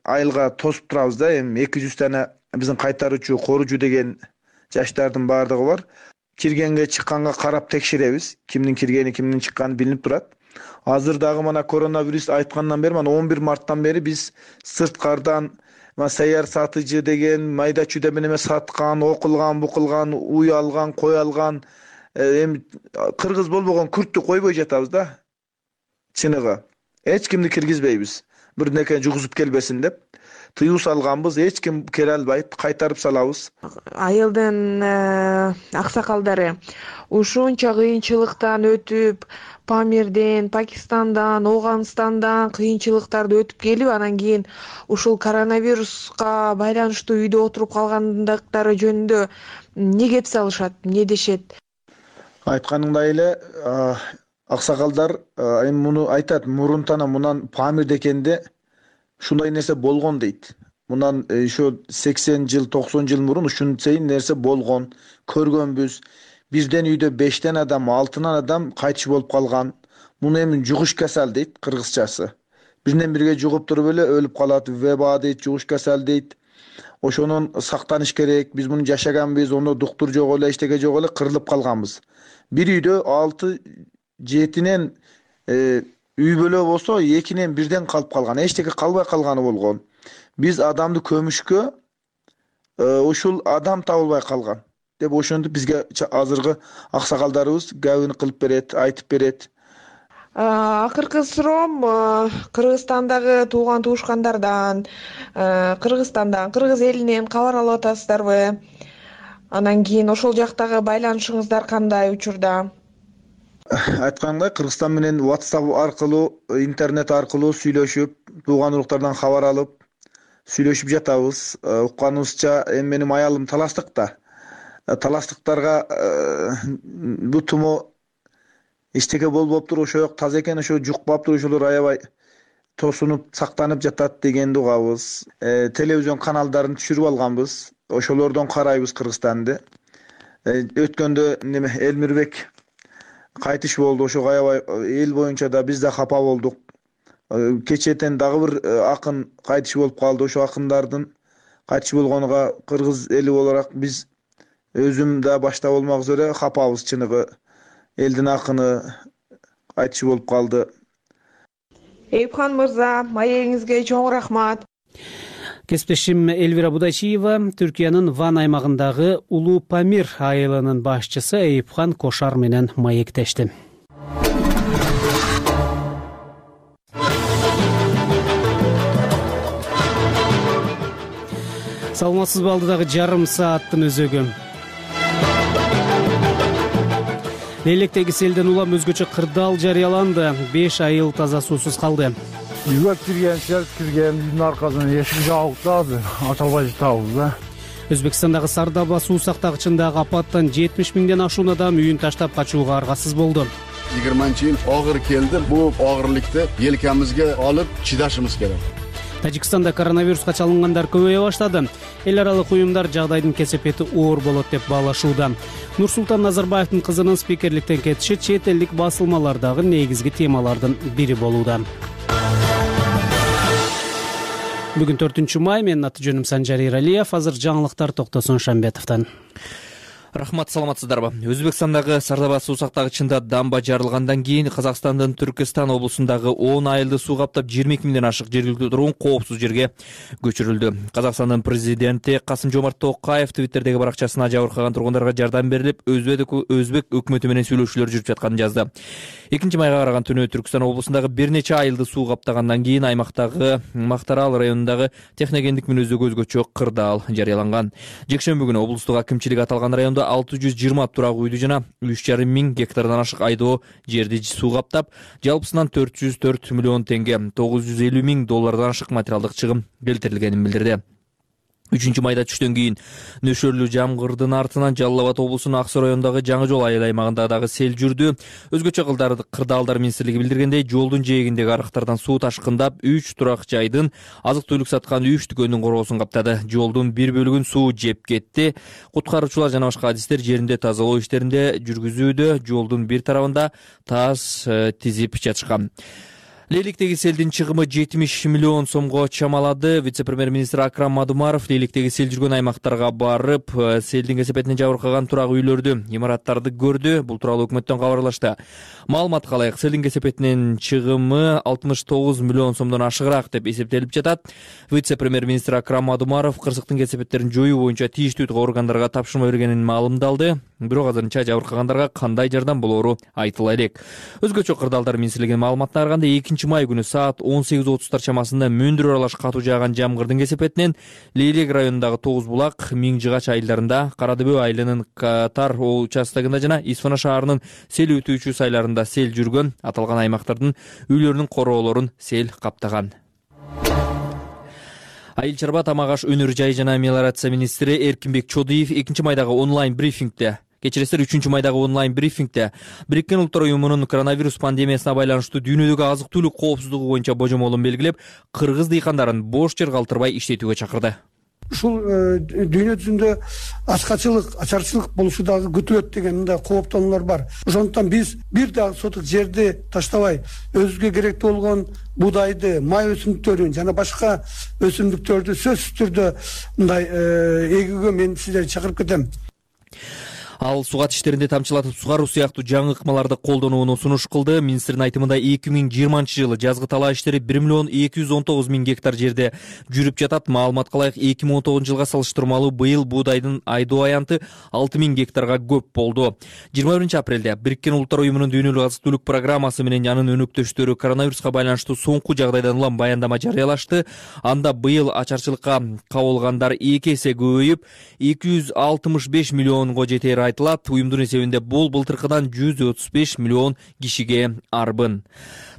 айылга тосуп турабыз да. Эми эки жүз дана биздин кайтаруучу, коружу деген жаштардын баардыгы бар. Киргенге, чыкканга карап текшеребиз. Кимдин киргени, кимдин чыкканы билинип турат. Азыр дагы мана коронавирус айткандан бери, мана он бир марттан бери биз сырткардан саяр сатыжы деген майда чүйдө менен саткан, окулган, букулган, уй алган, кой алган, эми кыргыз болбогон күрттү койбой жатабыз да. Чыныгы. Эч кимди киргизбейбиз. Бир неке жугузуп келбесин деп тыюу салганбыз, эч ким келе албайт, кайтарып салабыз. Айылдын аксакалдары ушунча кыйынчылыктан өтүп, Памирден, Пакистандан, Ооганстандан кыйынчылыктарды өтүп келип, анан кийин ушул коронавируска байланыштуу үйдө отуруп калгандыктары жөнүндө не кеп салышат, не дешет? Айтканыңдай эле, аксакалдар эми муну айтат, мурунтана мунан Памирде экенде ушундай нерсе болгон дейт. Мунан ошо сексен жыл, токсон жыл мурун ушунчай нерсе болгон, көргөнбүз. Бирден үйдө бештен адам, алтынан адам кайтыш болуп калган. Муну эми жугуш касал дейт кыргызчасы. Биринен бирге жугуп туруп эле өлүп калат, веба дейт, жугуш касал дейт. Ошонун сактаныш керек. Биз муну жашаганбыз, ону доктур жок эле, эчтеке жок эле кырылып калганбыз. Бир үйдө алты жетинен үй бөлө болсо, экинен бирден калып калган, эчтеке калбай калганы болгон. Биз адамды көмүшкө ушул адам табылбай калган деп ошентип бизге азыркы аксакалдарыбыз габын кылып берет, айтып берет. Акыркы суроом Кыргызстандагы тууган туушкандардан, Кыргызстандан, кыргыз элинен кабар алып атасыздарбы? Анан кийин ошол жактагы байланышыңыздар кандай учурда? Айткандай, Кыргызстан менен WhatsApp аркылуу, интернет аркылуу сүйлөшүп, тууган уруктардан кабар алып, сүйлөшүп жатабыз. Укканыбызча, эми менин аялым таластыкта. Таластыктарга бул тумо эчтеке болбоптур, ошо жок таза экен, ошо жукпаптыр, ошолор аябай тосунуп, сактанып жатат дегенди угабыз. Телевизион каналдарын түшүрүп алганбыз. ошолордон карайбыз Кыргызстанды. Өткөндө неме Элмирбек кайтыш болду. Ошого аябай эл боюнча да биз да капа болдук. Кечетен дагы бир акын кайтыш болуп калды. Ошо акындардын кайтыш болгонуга кыргыз эли olarak биз өзүм да башта болмок üzere капабыз. Чыныгы элдин акыны кайтыш болуп калды. Эйипхан мырза, маегиңизге чоң рахмат. Кесиптешим Элвира Будайчиева Түркиянын Ван аймагындагы Улуу Памир айылынын башчысы Эйипхан Кошар менен маектешти. Саламатсызбы, алдыдагы жарым сааттын өзөгү. Лейлектеги селден улам өзгөчө кырдаал жарыяланды. беш айыл таза суусуз калды. Үйгө кирген, селт кирген, үйдүн аркасынан эшик жабык да, ача албай жатабыз да. Өзбекстандагы Сардаба суу сактагычындагы апаттан жетимиш миңден ашуун адам үйүн таштап качууга аргасыз болду. yigirmanchi yil og'ir keldi. Bu og'irlikni yelkamizga olib chidashimiz kerak. Тажикстанда коронавируска чалынгандар көбөйө баштады. Эл аралык уюмдар жагдайдын кесепети оор болот деп баалашууда. Нурсултан Назарбаевдин кызынын спикерликтен кетиши чет элдик басылмалардагы негизги темалардын бири болууда. Бүгүн төртүнчү май, менин аты жөнүм Санжар Иралиев. Азыр жаңылыктар Токтосун Шамбетовдон. Рахмат, саламатсыздарбы? Өзбекстандагы Сардаба суу сактагычында дамба жарылгандан кийин Казакстандын Түркистан облусундагы он айылды суу каптап жыйырма эки миңден ашык жергиликтүү тургун коопсуз жерге көчүрүлдү. Казакстандын президенти Касым-Жомарт Токаев Твиттердеги баракчасына жабыркаган тургундарга жардам берилип, өзбек өкмөтү менен сүйлөшүүлөр жүрүп жатканын жазды. экинчи майга караган түнү Түркистан облусундагы бир нече айылды суу каптагандан кийин аймактагы Мактарал районундагы техногендик мүнөздөгү өзгөчө кырдаал жарыяланган. Жекшемби күнү облустук акимчилик аталган райондо алты жүз жыйырма турак үйдү жана үч жарым миң гектардан ашык айдоо жерди суу каптап, жалпысынан төрт жүз төрт миллион теңге, тогуз жүз элүү миң доллардан ашык материалдык чыгым келтирилгенин билдирди. үчүнчү майда түштөн кийин нөшөрлүү жамгырдын артынан Жалал Абад облусунун Ак Суу районундагы Жаңы жол айыл аймагында дагы сел жүрдү. Өзгөчө кырдаалдар министрлиги билдиргендей, жолдун жээгиндеги арыктардан суу ташкындап, үч турак жайдын азык-түлүк саткан үч дүкөндүн короосун каптады. Жолдун бир бөлүгүн суу жеп кетти. Куткаруучулар жана башка адистер жеринде тазалоо иштеринде жүргүзүүдө, жолдун бир тарабында тас тизип жатышкан. Лейликтеги селдин чыгымы жетимиш миллион сомго чамалады. Вице-премьер-министр Акрам Мадумаров Лейликтеги сел жүргөн аймактарга барып, селдин кесепетине жабыркаган турак үйлөрдү, имараттарды көрдү. Бул тууралуу өкмөттөн кабарлашты. Маалыматка ылайык, селдин кесепетинин чыгымы алтымыш тогуз миллион сомдон ашыгыраак деп эсептелип жатат. Вице-премьер-министр Акрам Мадумаров кырсыктын кесепеттерин жоюу боюнча тийиштүү органдарга тапшырма бергенин маалымдалды. Бирок азырынча жабыркагандарга кандай жардам болоору айтыла элек. Өзгөчө кырдаалдар министрлигинин маалыматына караганда экинчи май күнү саат он сегиз отуздар чамасында мөндүр аралаш катуу жааган жамгырдын кесепетинен Лейлек районундагы Тогуз булак, Миң Жыгач айылдарында, Карадыбөө айылынын Катар участогунда жана Исфана шаарынын сел өтүүчү сайларында сел жүргөн. Аталган аймактардын үйлөрүнүн короолорун сел каптаган. Айыл чарба, тамак аш, өнөр жай жана мелиорация министри Эркинбек Чодиев экинчи майдагы онлайн брифингде Кечиресиздер, үчүнчү майдагы онлайн брифингде Бириккен Улуттар уюмунун коронавирус пандемиясына байланыштуу дүйнөдөгү азык-түлүк коопсуздугу боюнча божомолун белгилеп, кыргыз дыйкандарын бош жер калтырбай иштетүүгө чакырды. Ушул дүйнө жүзүндө ачкачылык, ачарчылык болушу дагы күтүлөт деген мындай кооптонуулар бар. Ошондуктан биз бир дагы сотук жерди таштабай, өзүбүзгө керектүү болгон будайды, май өсүмдүктөрүн жана башка өсүмдүктөрдү сөзсүз түрдө мындай эгүүгө мен сиздерди чакырып кетем. Ал сугат иштеринде тамчылатып сугаруу сыяктуу жаңы ыкмаларды колдонууну сунуш кылды. Министрдин айтымында эки миң жыйырманчы жылы жазгы талаа иштери бир миллион эки жүз он тогуз миң гектар жерде жүрүп жатат. Маалыматка ылайык, эки миң он тогузунчу жылга салыштырмалуу быйыл буудайдын айдоо аянты алты миң гектарга көп болду. жыйырма биринчи апрелде Бириккен Улуттар уюмунун дүйнөлүк азык-түлүк программасы менен анын өнөктөштөрү коронавируска байланыштуу соңку жагдайдан улам баяндама жарыялашты. Анда быйыл ачарчылыкка кабылгандар эки эсе көбөйүп, эки жүз алтымыш беш миллионго жетээр айтылат. Уюмдун эсебинде бул былтыркыдан жүз отуз беш миллион кишиге арбын.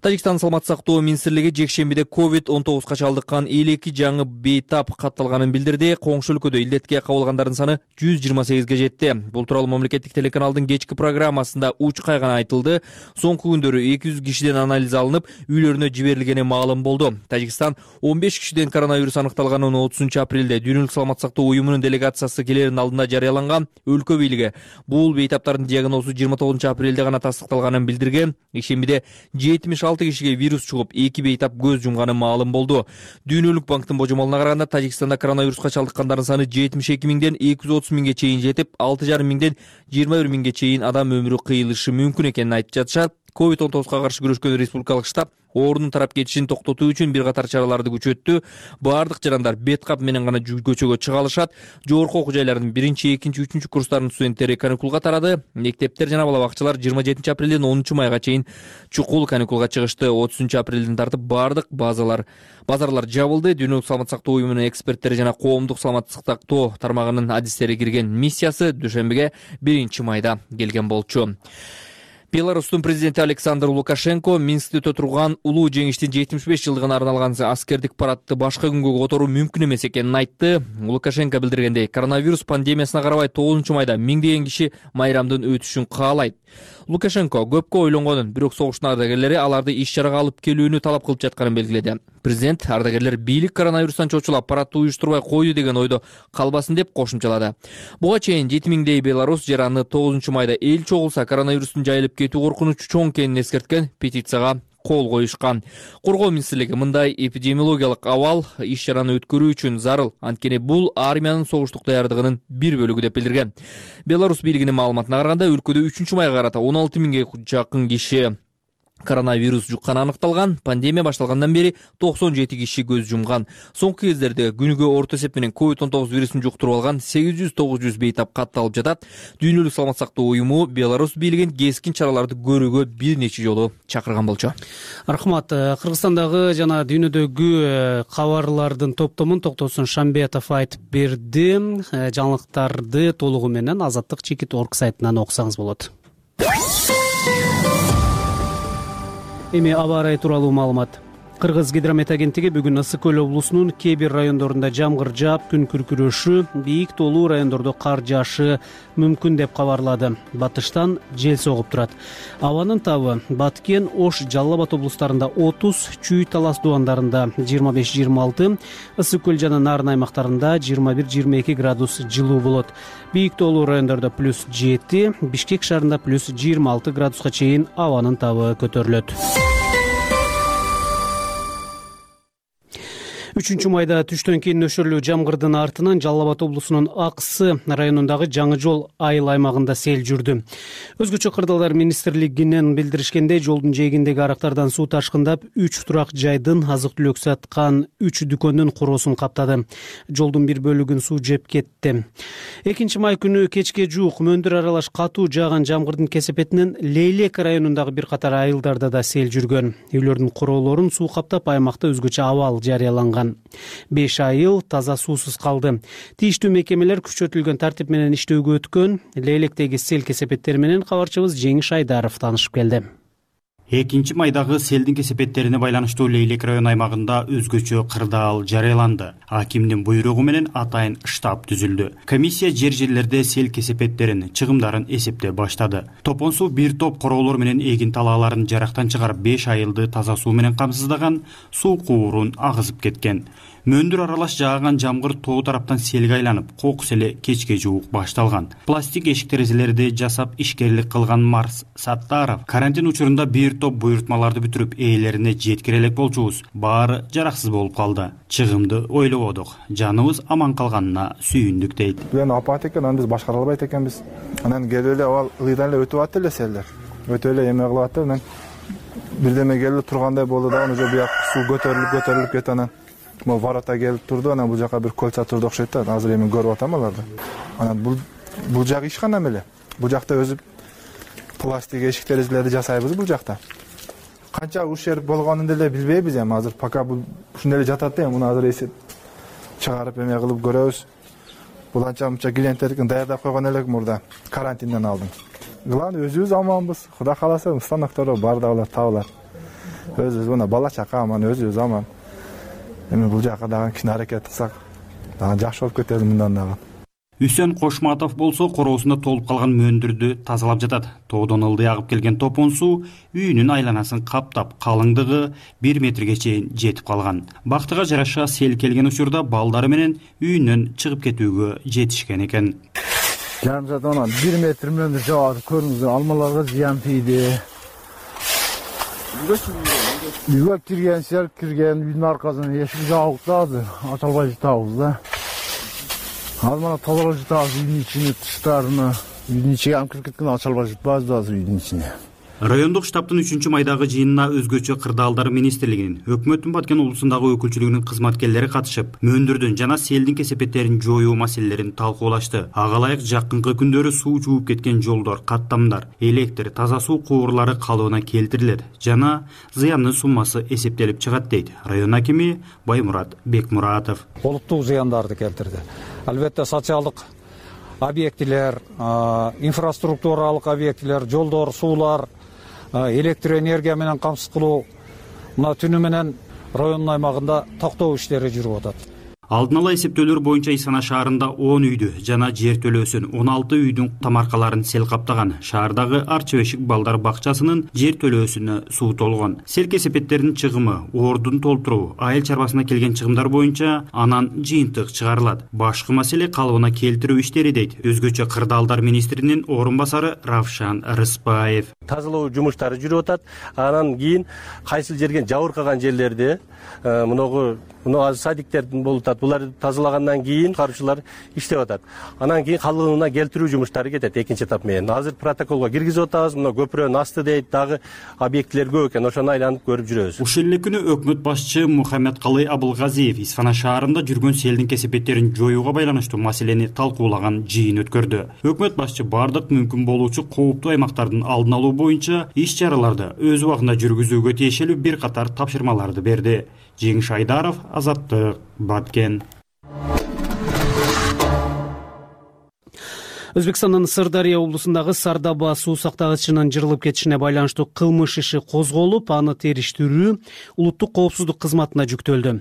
Тажикстан саламаттык сактоо министрлиги жекшембиде ковид он тогузга чалдыккан элүү эки жаңы бейтап катталганын билдирди. Коңшу өлкөдө илдетке кабылгандардын саны жүз жыйырма сегизге жетти. Бул тууралуу мамлекеттик телеканалдын кечки программасында уч кайган айтылды. Соңку күндөрү эки жүз кишиден анализ алынып, үйлөрүнө жиберилгени маалым болду. Тажикстан он беш кишиден коронавирус аныкталганын отузунчу апрелде Дүйнөлүк саламаттык сактоо уюмунун делегациясы келеринин алдында жарыяланган. Өлкө бийлиги бул бейтаптардын диагнозу жыйырма тогузунчу апрелде гана тастыкталганын билдирген. Ишембиде жетимиш алты кишиге вирус чугуп, эки бейтап көз жумганы маалым болду. Дүйнөлүк банктын божомолуна караганда Тажикстанда коронавируска чалдыккандардын саны жетимиш эки миңден эки жүз отуз миңге чейин жетип, алты жарым миңден жыйырма бир миңге чейин адам өмүрү кыйылышы мүмкүн экенин айтып жатышат. ковид он тогузга каршы күрөшкөн республикалык штаб оорунун тарап кетишин токтотуу үчүн бир катар чараларды күчөттү. Баардык жарандар бет кап менен гана көчөгө чыга алышат. Жогорку окуу жайлардын биринчи, экинчи, үчүнчү курстарынын студенттери каникулга тарады. Мектептер жана бала бакчалар жыйырма жетинчи апрелден онунчу майга чейин чукул каникулга чыгышты. отузунчу апрелден тартып баардык базалар базарлар жабылды. Дүйнөлүк саламаттык сактоо уюмунун эксперттери жана коомдук саламаттык сактоо тармагынын адистери кирген миссиясы дүйшөмбүгө биринчи майда келген болчу. Беларустун президенти Александр Лукашенко Минскте өтө турган улуу жеңиштин жетимиш беш жылдыгына арналган аскердик парадты башка күнгө которуу мүмкүн эмес экенин айтты. Лукашенко билдиргендей, коронавирус пандемиясына карабай тогузунчу майда миңдеген киши майрамдын өтүшүн каалайт. Лукашенко көпкө ойлонгонун, бирок согуштун ардагерлери аларды иш чарага алып келүүнү талап кылып жатканын белгиледи. Президент ардагерлер бийлик коронавирустан чочулап парадты уюштурбай койду деген ойдо калбасын деп кошумчалады. Буга чейин жети миңдей белорус жараны тогузунчу майда эл чогулса коронавирустун жайылып кетүү коркунучу чоң экенин эскерткен петицияга кол коюшкан. Коргоо министрлиги мындай эпидемиологиялык абал иш чараны өткөрүү үчүн зарыл, анткени бул армиянын согуштук даярдыгынын бир бөлүгү деп билдирген. Белорус бийлигинин маалыматына караганда өлкөдө үчүнчү майга карата он алты миңге жакын киши коронавирус жукканы аныкталган. Пандемия башталгандан бери токсон жети киши көз жумган. Соңку кездерде күнүгө орто эсеп менен ковид он тогуз вирусун жуктуруп алган сегиз жүз тогуз жүз бейтап катталып жатат. Дүйнөлүк саламаттык сактоо уюму Беларусь бийлигин кескин чараларды көрүүгө бир нече жолу чакырган болчу. Рахмат. Кыргызстандагы жана дүйнөдөгү кабарлардын топтомун Токтосун Шамбетов айтып берди. Жаңылыктарды толугу менен азаттык чекит точка орг сайтынан окусаңыз болот. Эми аба ырайы тууралуу маалымат. Кыргыз гидромет агенттиги бүгүн Ысык көл облусунун кээ бир райондорунда жамгыр жаап, күн күркүрөшү, бийик тоолуу райондордо кар жаашы мүмкүн деп кабарлады. Батыштан жел согуп турат. Абанын табы Баткен, Ош, Жалал Абад облустарында отуз, Чүй, Талас дубандарында жыйырма беш жыйырма алты, Ысык көл жана Нарын аймактарында жыйырма бир жыйырма эки градус жылуу болот. Бийик тоолуу райондордо плюс жети, Бишкек шаарында плюс жыйырма алты градуска чейин абанын табы көтөрүлөт. үчүнчү майда түштөн кийин нөшөрлүү жамгырдын артынан Жалал Абад облусунун Аксы районундагы Жаңы жол айыл аймагында сел жүрдү. Өзгөчө кырдаалдар министрлигинен билдиришкендей, жолдун жээгиндеги арактардан суу ташкындап, үч турак жайдын азык-түлүк саткан үч дүкөндүн короосун каптады. Жолдун бир бөлүгүн суу жеп кетти. экинчи май күнү кечке жуук мөндүр аралаш катуу жааган жамгырдын кесепетинен Лейлек районундагы бир катар айылдарда да сел жүргөн. Үйлөрдүн короолорун суу каптап, аймакта өзгөчө абал жарыяланган. беш айыл таза суусуз калды. Тийиштүү мекемелер күчөтүлгөн тартип менен иштөөгө өткөн. Лейлектеги сел кесепеттери менен кабарчыбыз Жеңиш Айдаров таанышып келди. экинчи майдагы селдин кесепеттерине байланыштуу Лейлек район аймагында өзгөчө кырдаал жарыяланды. Акимдин буйругу менен атайын штаб түзүлдү. Комиссия жер жерлерде сел кесепеттерин, чыгымдарын эсептеп баштады. Топон суу бир топ короолор менен эгин талааларын жарактан чыгарып, беш айылды таза суу менен камсыздаган, суу куурун агызып кеткен. Мөндүр аралаш жааган жамгыр тоо тараптан селге айланып, кокус эле кечке жуук башталган. Пластик эшик терезелерди жасап ишкерлик кылган Марс Саттаров карантин учурунда бир топ буйрутмаларды бүтүрүп, ээлерине жеткире элек болчубуз. Баары жараксыз болуп калды. Чыгымды ойлободук. Жаныбыз аман калганына сүйүндүк дейт. Мен апат экен, аны биз башкара албайт экенбиз. Анан келип эле ал ылыйдан эле өтүп атты эле селдер. Өтүп эле эме кылып атты. Анан бирдеме келип тургандай болду да, уже буяк суу көтөрүлүп көтөрүлүп кетти. Анан могу ворота келип турду. Анан бул жака бир кольца турду окшойт да. Азыр эми көрүп атам аларды. Анан бул бул жак ишкана эле. Бул жакта өзү пластик эшик терезелерди жасайбыз бул жакта. Канча ушер болгонун деле билбейбиз эми. Азыр пока бул ушундай эле жатат да, муну азыр эсеп чыгарып эме кылып көрөбүз. бул анча мынча клиенттердикин даярдап койгон элек мурда карантинден алдым. Главное өзүбүз аманбыз. Кудай кааласа станоктордо баардыгы табылат. Өзүбүз мына бала чака аман, өзүбүз аман. Эми бул жака дагы кичине аракет кылсак, дагы жакшы болуп кетет мындан дагы. Үсөн Кошматов болсо короосунда толуп калган мөндүрдү тазалап жатат. Тоодон ылдый агып келген топон суу үйүнүн айланасын каптап, калыңдыгы бир метрге чейин жетип калган. Бактыга жараша сел келген учурда балдары менен үйүнөн чыгып кетүүгө жетишкен экен. Жарым саат анан бир метр мөндүр жаап көрүңүздөр, алмаларга зыян тийди. Үйгө кирген сел кирген, үйдүн аркасынан эшик жабык да, азыр ача албай жатабыз да. Азыр мана тазалап жатабыз үйдүн ичини, тыштарыны. Үйдүн ичиге алып кирип кеткен ача албай жатпайбыз да азыр үйдүн ичине. Райондук штабтын үчүнчү майдагы жыйынына өзгөчө кырдаалдар министрлигинин, өкмөттүн Баткен облусундагы өкүлчүлүгүнүн кызматкерлери катышып, мөндүрдүн жана селдин кесепеттерин жоюу маселелерин талкуулашты. Ага ылайык жакынкы күндөрү суу жууп кеткен жолдор, каттамдар, электр, таза суу кубурлары калыбына келтирилет жана зыяндын суммасы эсептелип чыгат дейт район акими Баймурат Бекмуратов. Олуттук зыяндарды келтирди. Албетте социалдык объектилер, инфраструктуралык объектилер, жолдор, суулар, электр энергия менен камсыз кылуу мына түнү менен райондун аймагында токтоо иштери жүрүп атат. Алдын ала эсептөөлөр боюнча Исана шаарында он үйдү жана жер төлөөсүн он алты үйдүн тамаркаларын сел каптаган. Шаардагы Арчы Бешик балдар бакчасынын жер төлөөсүнө суу толгон. Сел кесепеттеринин чыгымы, ордун толтуруу, айыл чарбасына келген чыгымдар боюнча анан жыйынтык чыгарылат. Башкы маселе калыбына келтирүү иштери дейт өзгөчө кырдаалдар министринин орун басары Равшан Рыспаев. Тазалоо жумуштары жүрүп атат. Анан кийин кайсыл жерге жабыркаган жерлерди мыногу мына садиктердин болуп атат. Буларды тазалагандан кийин карчылар иштеп атат. Анан кийин калыбына келтирүү жумуштары кетет экинчи этап менен. Азыр протоколго киргизип атабыз. Мына көпүрөнүн асты дейт, дагы объекттер көп экен. Ошону айланып көрүп жүрөбүз. Ушул эле күнү өкмөт башчы Мухаммедкалый Абылгазиев Исфана шаарында жүргөн селдин кесепеттерин жоюуга байланыштуу маселени талкуулаган жыйын өткөрдү. Өкмөт башчы бардык мүмкүн болуучу кооптуу аймактардын алдын алуу боюнча иш-чараларды өз убагында жүргүзүүгө тиешелүү бир катар тапшырмаларды берди. Жеңиш Айдаров, Азаттык, Баткен. Өзбекстандын Сырдария облусундагы Сардаба суу сактагычынын жырылып кетишине байланыштуу кылмыш иши козголуп, аны териштирүү улуттук коопсуздук кызматына жүктөлдү.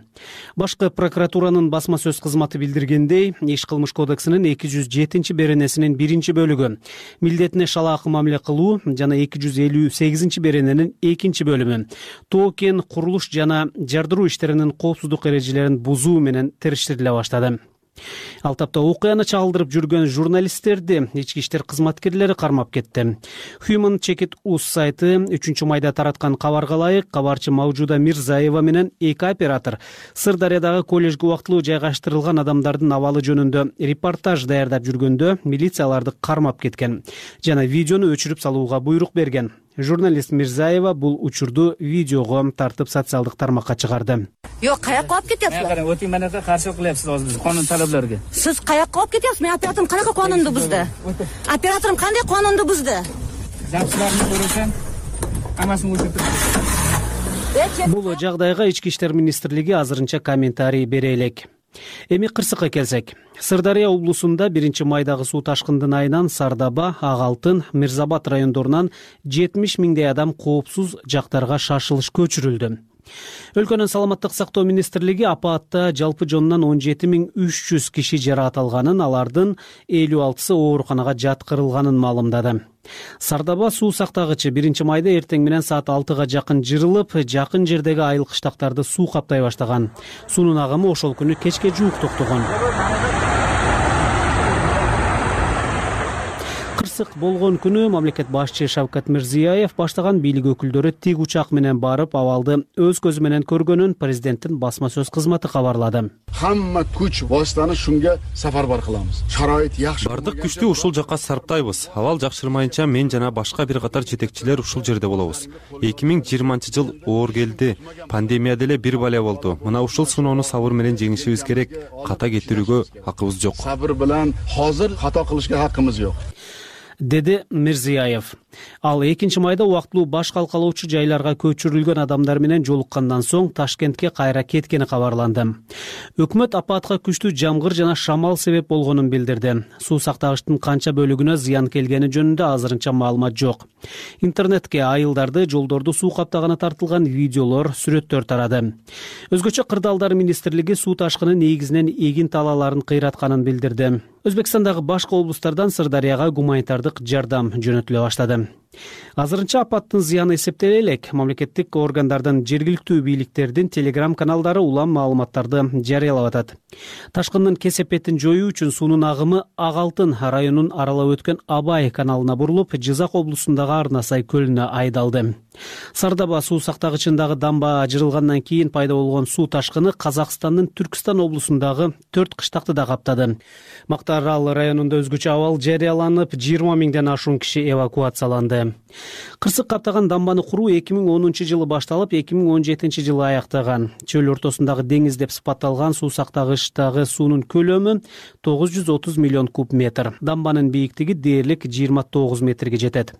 Башкы прокуратуранын басма сөз кызматы билдиргендей, иш кылмыш кодексинин эки жүз жетинчи беренесинин биринчи бөлүгү милдетине шалаакы мамиле кылуу жана эки жүз элүү сегизинчи берененин экинчи бөлүмү тоо кен курулуш жана жардыруу иштеринин коопсуздук эрежелерин бузуу менен териштириле баштады. Ал тапта окуяны чагылдырып жүргөн журналисттерди ички иштер кызматкерлери кармап кетти. Human Check It Us сайты үчүнчү майда тараткан кабарга ылайык, кабарчы Маужуда Мирзаева менен эки оператор Сырдариядагы коллежге убактылуу жайгаштырылган адамдардын абалы жөнүндө репортаж даярдап жүргөндө милицияларды кармап кеткен жана видеону өчүрүп салууга буйрук берген. Журналист Мирзаева бул учурду видеого тартып социалдык тармакка чыгарды. Жок, каяка алып кетесиз? Өтүн менен каршы кылабыз биз канун талаптарга. Сиз каяка алып кетесиз? Мен операторум канака канунду бузду? Операторум кандай канунду бузду? Жакшыларын көрөсөм, амасын өчүрүп. Бул жагдайга ички иштер министрлиги азырынча комментарий бере элек. Эми кырсыкка келсек, Сырдария облусунда биринчи майдагы суу ташкындын айынан Сардаба, Ак Алтын, Мирзабад райондорунан жетимиш миңдей адам коопсуз жактарга шашылыш көчүрүлдү. Өлкөнүн саламаттык сактоо министрлиги апаатта жалпы жонунан он жети миң үч жүз киши жаракат алганын, алардын элүү алтысы ооруканага жаткырылганын маалымдады. Сардаба суу сактагычы биринчи майда эртең менен саат алтыга жакын жырылып, жакын жердеги айыл кыштактарды суу каптай баштаган. Суунун агымы ошол күнү кечке жуук токтогон. Кырсык болгон күнү мамлекет башчы Шавкат Мирзиёев баштаган бийлик өкүлдөрү тик учак менен барып абалды өз көзү менен көргөнүн президенттин басма сөз кызматы кабарлады. Хамма күч васитаны шунга сафарбар кылабыз. Шарайыт жакшы. Бардык күчтү ушул жакка сарптайбыз. Абал жакшырмайынча мен жана башка бир катар жетекчилер ушул жерде болобуз. эки миң жыйырманчы жыл оор келди. Пандемия деле бир бале болду. Мына ушул сыноону сабыр менен жеңишибиз керек. Ката кетирүүгө акыбыз жок. Сабыр менен азыр ката кылышка хакыбыз жок. деди Мирзиёев. Ал экинчи майда убактылуу баш калкалоочу жайларга көчүрүлгөн адамдар менен жолуккандан соң Ташкентке кайра кеткени кабарланды. Өкмөт апатка күчтүү жамгыр жана шамал себеп болгонун билдирди. Суу сактагычтын канча бөлүгүнө зыян келгени жөнүндө азырынча маалымат жок. Интернетке айылдарды, жолдорду суу каптаганы тартылган видеолор, сүрөттөр тарады. Өзгөчө Кырдаалдар министрлиги суу ташкыны негизинен эгин талааларын кыйратканын билдирди. Өзбекстандагы башка облустардан Сырдарыяга гуманитардык жардам жөнөтүлө баштады. Азырынча апаттын зыяны эсептеле элек. Мамлекеттик органдардын, жергиликтүү бийликтердин телеграм каналдары улам маалыматтарды жарыялап атат. Ташкындын кесепетин жоюу үчүн суунун агымы Ак Алтын районун аралап өткөн Абай каналына бурулуп, Жизак облусундагы Арнасай көлүнө айдалды. Сардаба суу сактагычындагы дамба ажырылгандан кийин пайда болгон суу ташкыны Казакстандын Түркстан облусундагы төрт кыштакты да каптады. Мактаарал районунда өзгөчө абал жарыяланып, жыйырма миңден ашуун киши эвакуацияланды. Кырсык каптаган дамбаны куруу эки миң онунчу жылы башталып, эки миң он жетинчи жылы аяктаган. Чөл ортосундагы деңиз деп сыпатталган суу сактагычтагы суунун көлөмү тогуз жүз отуз миллион куб метр. Дамбанын бийиктиги дээрлик жыйырма тогуз метрге жетет.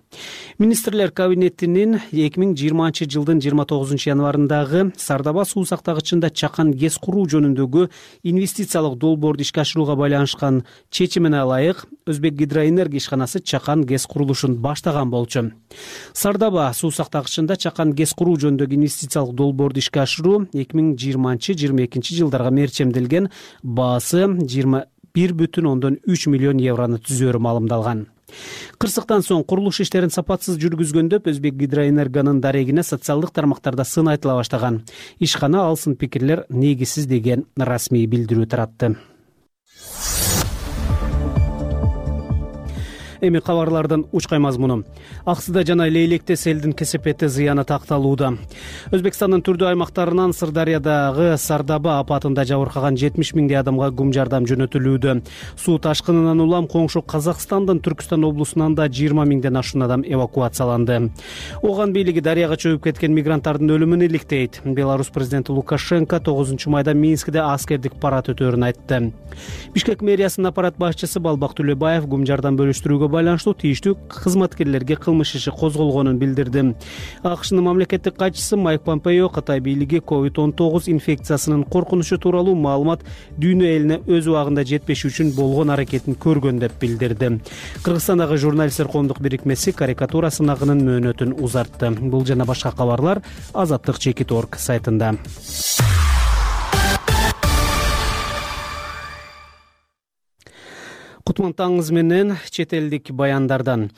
Министрлер кабинетинин эки миң жыйырманчы жылдын жыйырма тогузунчу январындагы Сардаба суу сактагычында чакан ГЭС куруу жөнүндөгү инвестициялык долбоорду ишке ашырууга байланышкан чечимине ылайык Өзбек гидроэнергия ишканасы чакан ГЭС курулушун баштаган болчу. Сардаба суу сактагычында чакан ГЭС куруу жөнүндөгү инвестициялык долбоорду ишке ашыруу эки миң жыйырманчы жыйырма экинчи жылдарга мерчемделген, баасы жыйырма бир бүтүн ондон үч миллион еврону түзөөрү маалымдалган. Кырсыктан соң курулуш иштерин сапатсыз жүргүзгөндөп Өзбек гидроэнергиянын дарегине социалдык тармактарда сын айтыла баштаган. Ишкана ал сын пикирлер негизсиз деген расмий билдирүү таратты. Эми кабарлардын учкай мазмуну. Аксыда жана Лейлекте селдин кесепети зыяны такталууда. Өзбекстандын түрдүү аймактарынан Сырдарыядагы Сардаба апатында жабыркаган жетимиш миңдей адамга гум жардам жөнөтүлүүдө. Суу ташкынынан улам коңшу Казакстандын Түркстан облусунан да жыйырма миңден ашуун адам эвакуацияланды. Оган бийлиги дарыяга чөгүп кеткен мигранттардын өлүмүн иликтейт. Беларусь президенти Лукашенко тогузунчу майда Минскде аскердик парад өтөөрүн айтты. Бишкек мэриясынын аппарат башчысы Балбак Төлөбаев гум жардам бөлүштүрүүгө байланыштуу тийиштүү кызматкерлерге кылмыш иши козголгонун билдирди. АКШнын мамлекеттик катчысы Майк Помпео Кытай бийлиги ковид он тогуз инфекциясынын коркунучу тууралуу маалымат дүйнө элине өз убагында жетпеши үчүн болгон аракетин көргөн деп билдирди. Кыргызстандагы журналисттер коомдук бирикмеси карикатура сынагынын мөөнөтүн узартты. Бул жана башка кабарлар азаттык чекит точка орг сайтында. Кутман таңыңыз менен чет элдик баяндардан.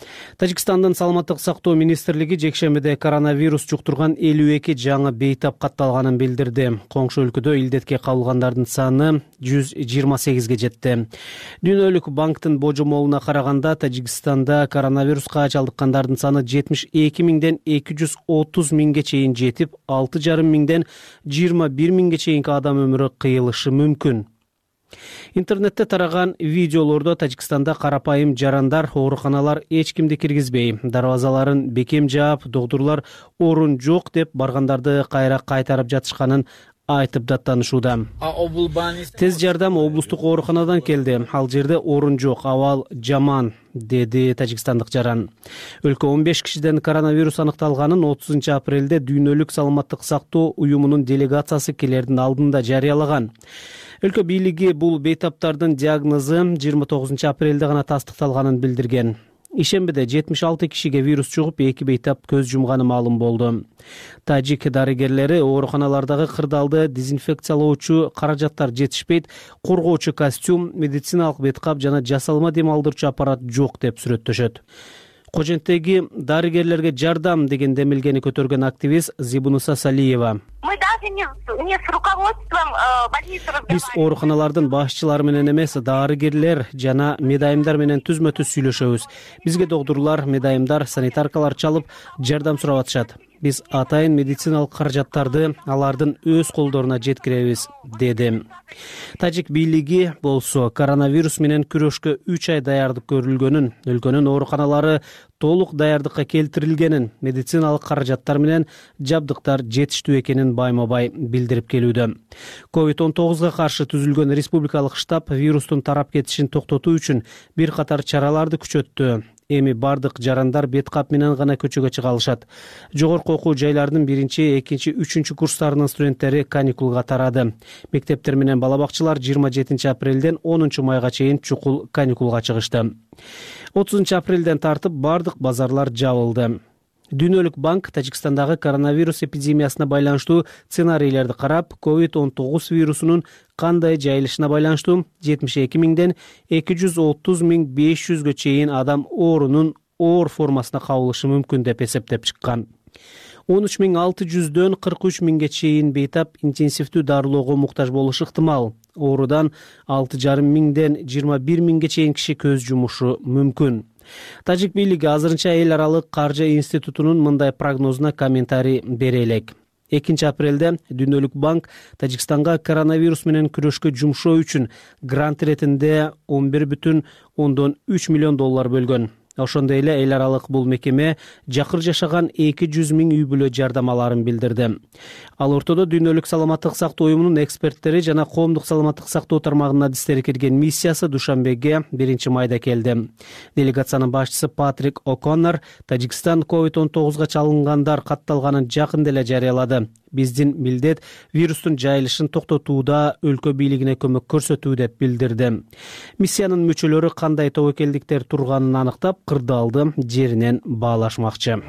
Тажикстандын саламаттык сактоо министрлиги жекшембиде коронавирус жуктурган элүү эки жаңы бейтап катталганын билдирди. Коңшу өлкөдө илдетке кабылгандардын саны жүз жыйырма сегизге жетти. Дүйнөлүк банктын божомолуна караганда Тажикстанда коронавируска чалдыккандардын саны жетимиш эки миңден эки жүз отуз миңге чейин жетип, алты жарым миңден жыйырма бир миңге чейинки адам өмүрү кыйылышы мүмкүн. Интернетте тараган видеолордо Тажикстанда карапайым жарандар ооруканалар эч кимди киргизбей, дарбазаларын бекем жаап, доктурлар орун жок деп баргандарды кайра кайтарып жатышканын айтып даттанышууда. Тез жардам облустук ооруканадан келди. Ал жерде орун жок, абал жаман, деди тажикстандык жаран. Өлкө он беш кишиден коронавирус аныкталганын отузунчу апрелде Дүйнөлүк саламаттык сактоо уюмунун делегациясы келердин алдында жарыялаган. Өлкө бийлиги бул бейтаптардын диагнозу жыйырма тогузунчу апрелде гана тастыкталганын билдирген. Ишембиде жетимиш алты кишиге вирус чугуп, эки бейтап көз жумганы маалым болду. Тажик дарыгерлери ооруканалардагы кырдаалды дезинфекциялоочу каражаттар жетишпейт, коргоочу костюм, медициналык беткап жана жасалма дем алдырчу аппарат жок деп сүрөттөшөт. Коженттеги дарыгерлерге жардам деген демилгени көтөргөн активист Зибунуса Салиева. Биз ооруканалардын башчылары менен эмес, дарыгерлер жана медайымдар менен түзмө-түз сүйлөшөбүз. Бизге доктурлар, медайымдар, санитаркалар чалып жардам сурап атышат. Биз атайын медициналык каражаттарды алардын өз колдоруна жеткиребиз, деди. Тажик бийлиги болсо коронавирус менен күрөшкө үч ай даярдык көрүлгөнүн, өлкөнүн ооруканалары толук даярдыкка келтирилгенин, медициналык каражаттар менен жабдыктар жетиштүү экенин байма-бай билдирип келүүдө. ковид он тогузга каршы түзүлгөн республикалык штаб вирустун тарап кетишин токтотуу үчүн бир катар чараларды күчөттү. Эми бардык жарандар бет кап менен гана көчөгө чыга алышат. Жогорку окуу жайларынын биринчи, экинчи, үчүнчү курстарынын студенттери каникулга тарады. Мектептер менен бала бакчалар жыйырма жетинчи апрелден онунчу майга чейин чукул каникулга чыгышты. отузунчу апрелден тартып бардык базарлар жабылды. Дүйнөлүк банк Тажикстандагы коронавирус эпидемиясына байланыштуу сценарийлерди карап, ковид он тогуз вирусунун кандай жайылышына байланыштуу жетимиш эки миңден эки жүз отуз миң беш жүзгө чейин адам оорунун оор формасына кабылышы мүмкүн деп эсептеп чыккан. он үч миң алты жүздөн кырк үч миңге чейин бейтап интенсивдүү дарылоого муктаж болушу ыктымал. Оорудан алты жарым миңден жыйырма бир миңге чейин киши көз жумушу мүмкүн. Тажик бийлиги азырынча эл аралык каржы институтунун мындай прогнозуна комментарий бере элек. экинчи апрелде Дүйнөлүк банк Тажикстанга коронавирус менен күрөшкө жумшоо үчүн грант иретинде он бир бүтүн ондон үч миллион доллар бөлгөн. Ошондой эле эл аралык бул мекеме жакыр жашаган эки жүз миң үй бүлө жардамаларын билдирди. Ал ортодо Дүйнөлүк саламаттык сактоо уюмунун эксперттери жана коомдук саламаттык сактоо тармагынын адистери кирген миссиясы Душанбеге биринчи майда келди. Делегациянын башчысы Патрик О'Коннор Тажикстан ковид он тогузга чалынгандар катталганын жакында эле жарыялады. Биздин милдет вирустун жайылышын токтотууда өлкө бийлигине көмөк көрсөтүү деп билдирди. Миссиянын мүчөлөрү кандай тобокелдиктер турганын аныктап, кырдаалды жеринен баалашмакчы.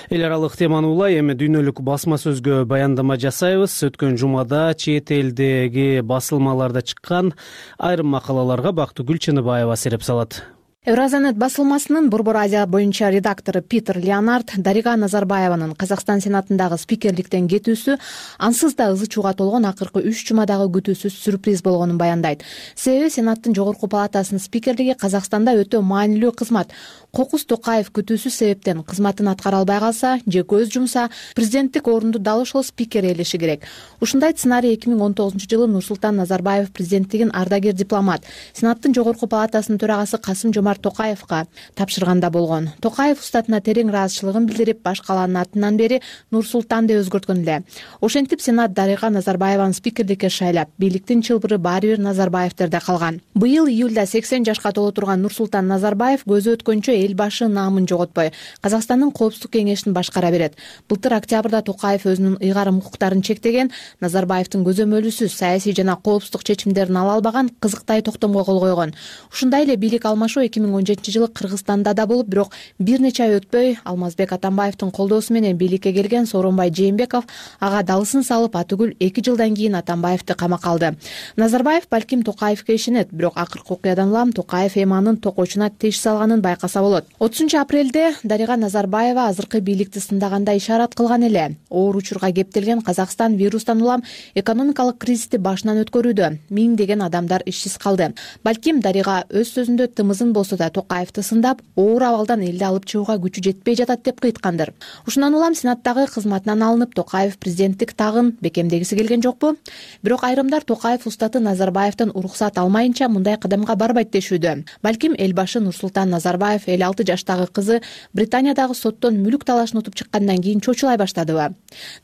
Эл аралык теманы улай эми дүйнөлүк басма сөзгө баяндама жасайбыз. Өткөн жумада чет элдеги басылмаларда чыккан айрым макалаларга Бактыгүл Чыныбаева сереп салат. Евразанет басылмасынын Борбор Азия боюнча редактору Питер Леонард Дарига Назарбаеванын Казакстан Сенатындагы спикерликтен кетүүсү ансыз да ызы чууга толгон акыркы үч жумадагы күтүүсүз сюрприз болгонун баяндайт. Себеби Сенаттын жогорку палатасынын спикерлиги Казакстанда өтө маанилүү кызмат. Кокус Токаев күтүүсүз себептен кызматын аткара албай калса же көз жумса, президенттик орунду дал ошол спикер ээлеши керек. Ушундай сценарий эки миң он тогузунчу жылы Нурсултан Назарбаев президенттигин ардагер дипломат Сенаттын жогорку палатасынын төрагасы Касым Жомарт Токаевга тапшырганда болгон. Токаев устатына терең ыраазычылыгын билдирип, баш калаанын атынан бери Нурсултан деп өзгөрткөн эле. Ошентип Сенат Дарига Назарбаеваны спикерликке шайлап, бийликтин чылбыры баары бир Назарбаевтерде калган. Быйыл июлда сексен жашка толо турган Нурсултан Назарбаев көзү өткөнчө эл башы наамын жоготпой, Казакстандын коопсуздук кеңешин башкара берет. Былтыр октябрда Токаев өзүнүн ыйгарым укуктарын чектеген, Назарбаевдин көзөмөлүсүз саясий жана коопсуздук чечимдерин ала албаган кызыктай токтомго кол койгон. Ушундай эле бийлик алмашуу эки миң он жетинчи жылы Кыргызстанда да болуп, бирок бир нече ай өтпөй Алмазбек Атамбаевдин колдоосу менен бийликке келген Сооронбай Жээнбеков ага далысын салып, атүгүл эки жылдан кийин Атамбаевди камакка алды. Назарбаев балким Токаевге ишенет, бирок акыркы окуядан улам Токаев эми анын токойчуна тиш салганын байкаса болот. отузунчу апрелде Дарига Назарбаева азыркы бийликти сындаганда ишарат кылган эле. Оор учурга кептелген Казакстан вирустан улам экономикалык кризисти башынан өткөрүүдө, миңдеген адамдар ишсиз калды. Балким Дарига өз сөзүндө тымызын болсо да Токаевди сындап, оор абалдан элди алып чыгууга күчү жетпей жатат деп кыйткандыр. Ушундан улам Сенаттагы кызматынан алынып, Токаев президенттик тагын бекемдегиси келген жокпу? Бирок айрымдар Токаев устаты Назарбаевдин уруксат алмайынча мындай кадамга барбайт дешүүдө. Балким эл башы Нурсултан Назарбаев элүү алты жаштагы кызы Британиядагы соттон мүлүк талашын утуп чыккандан кийин чочулай баштадыбы?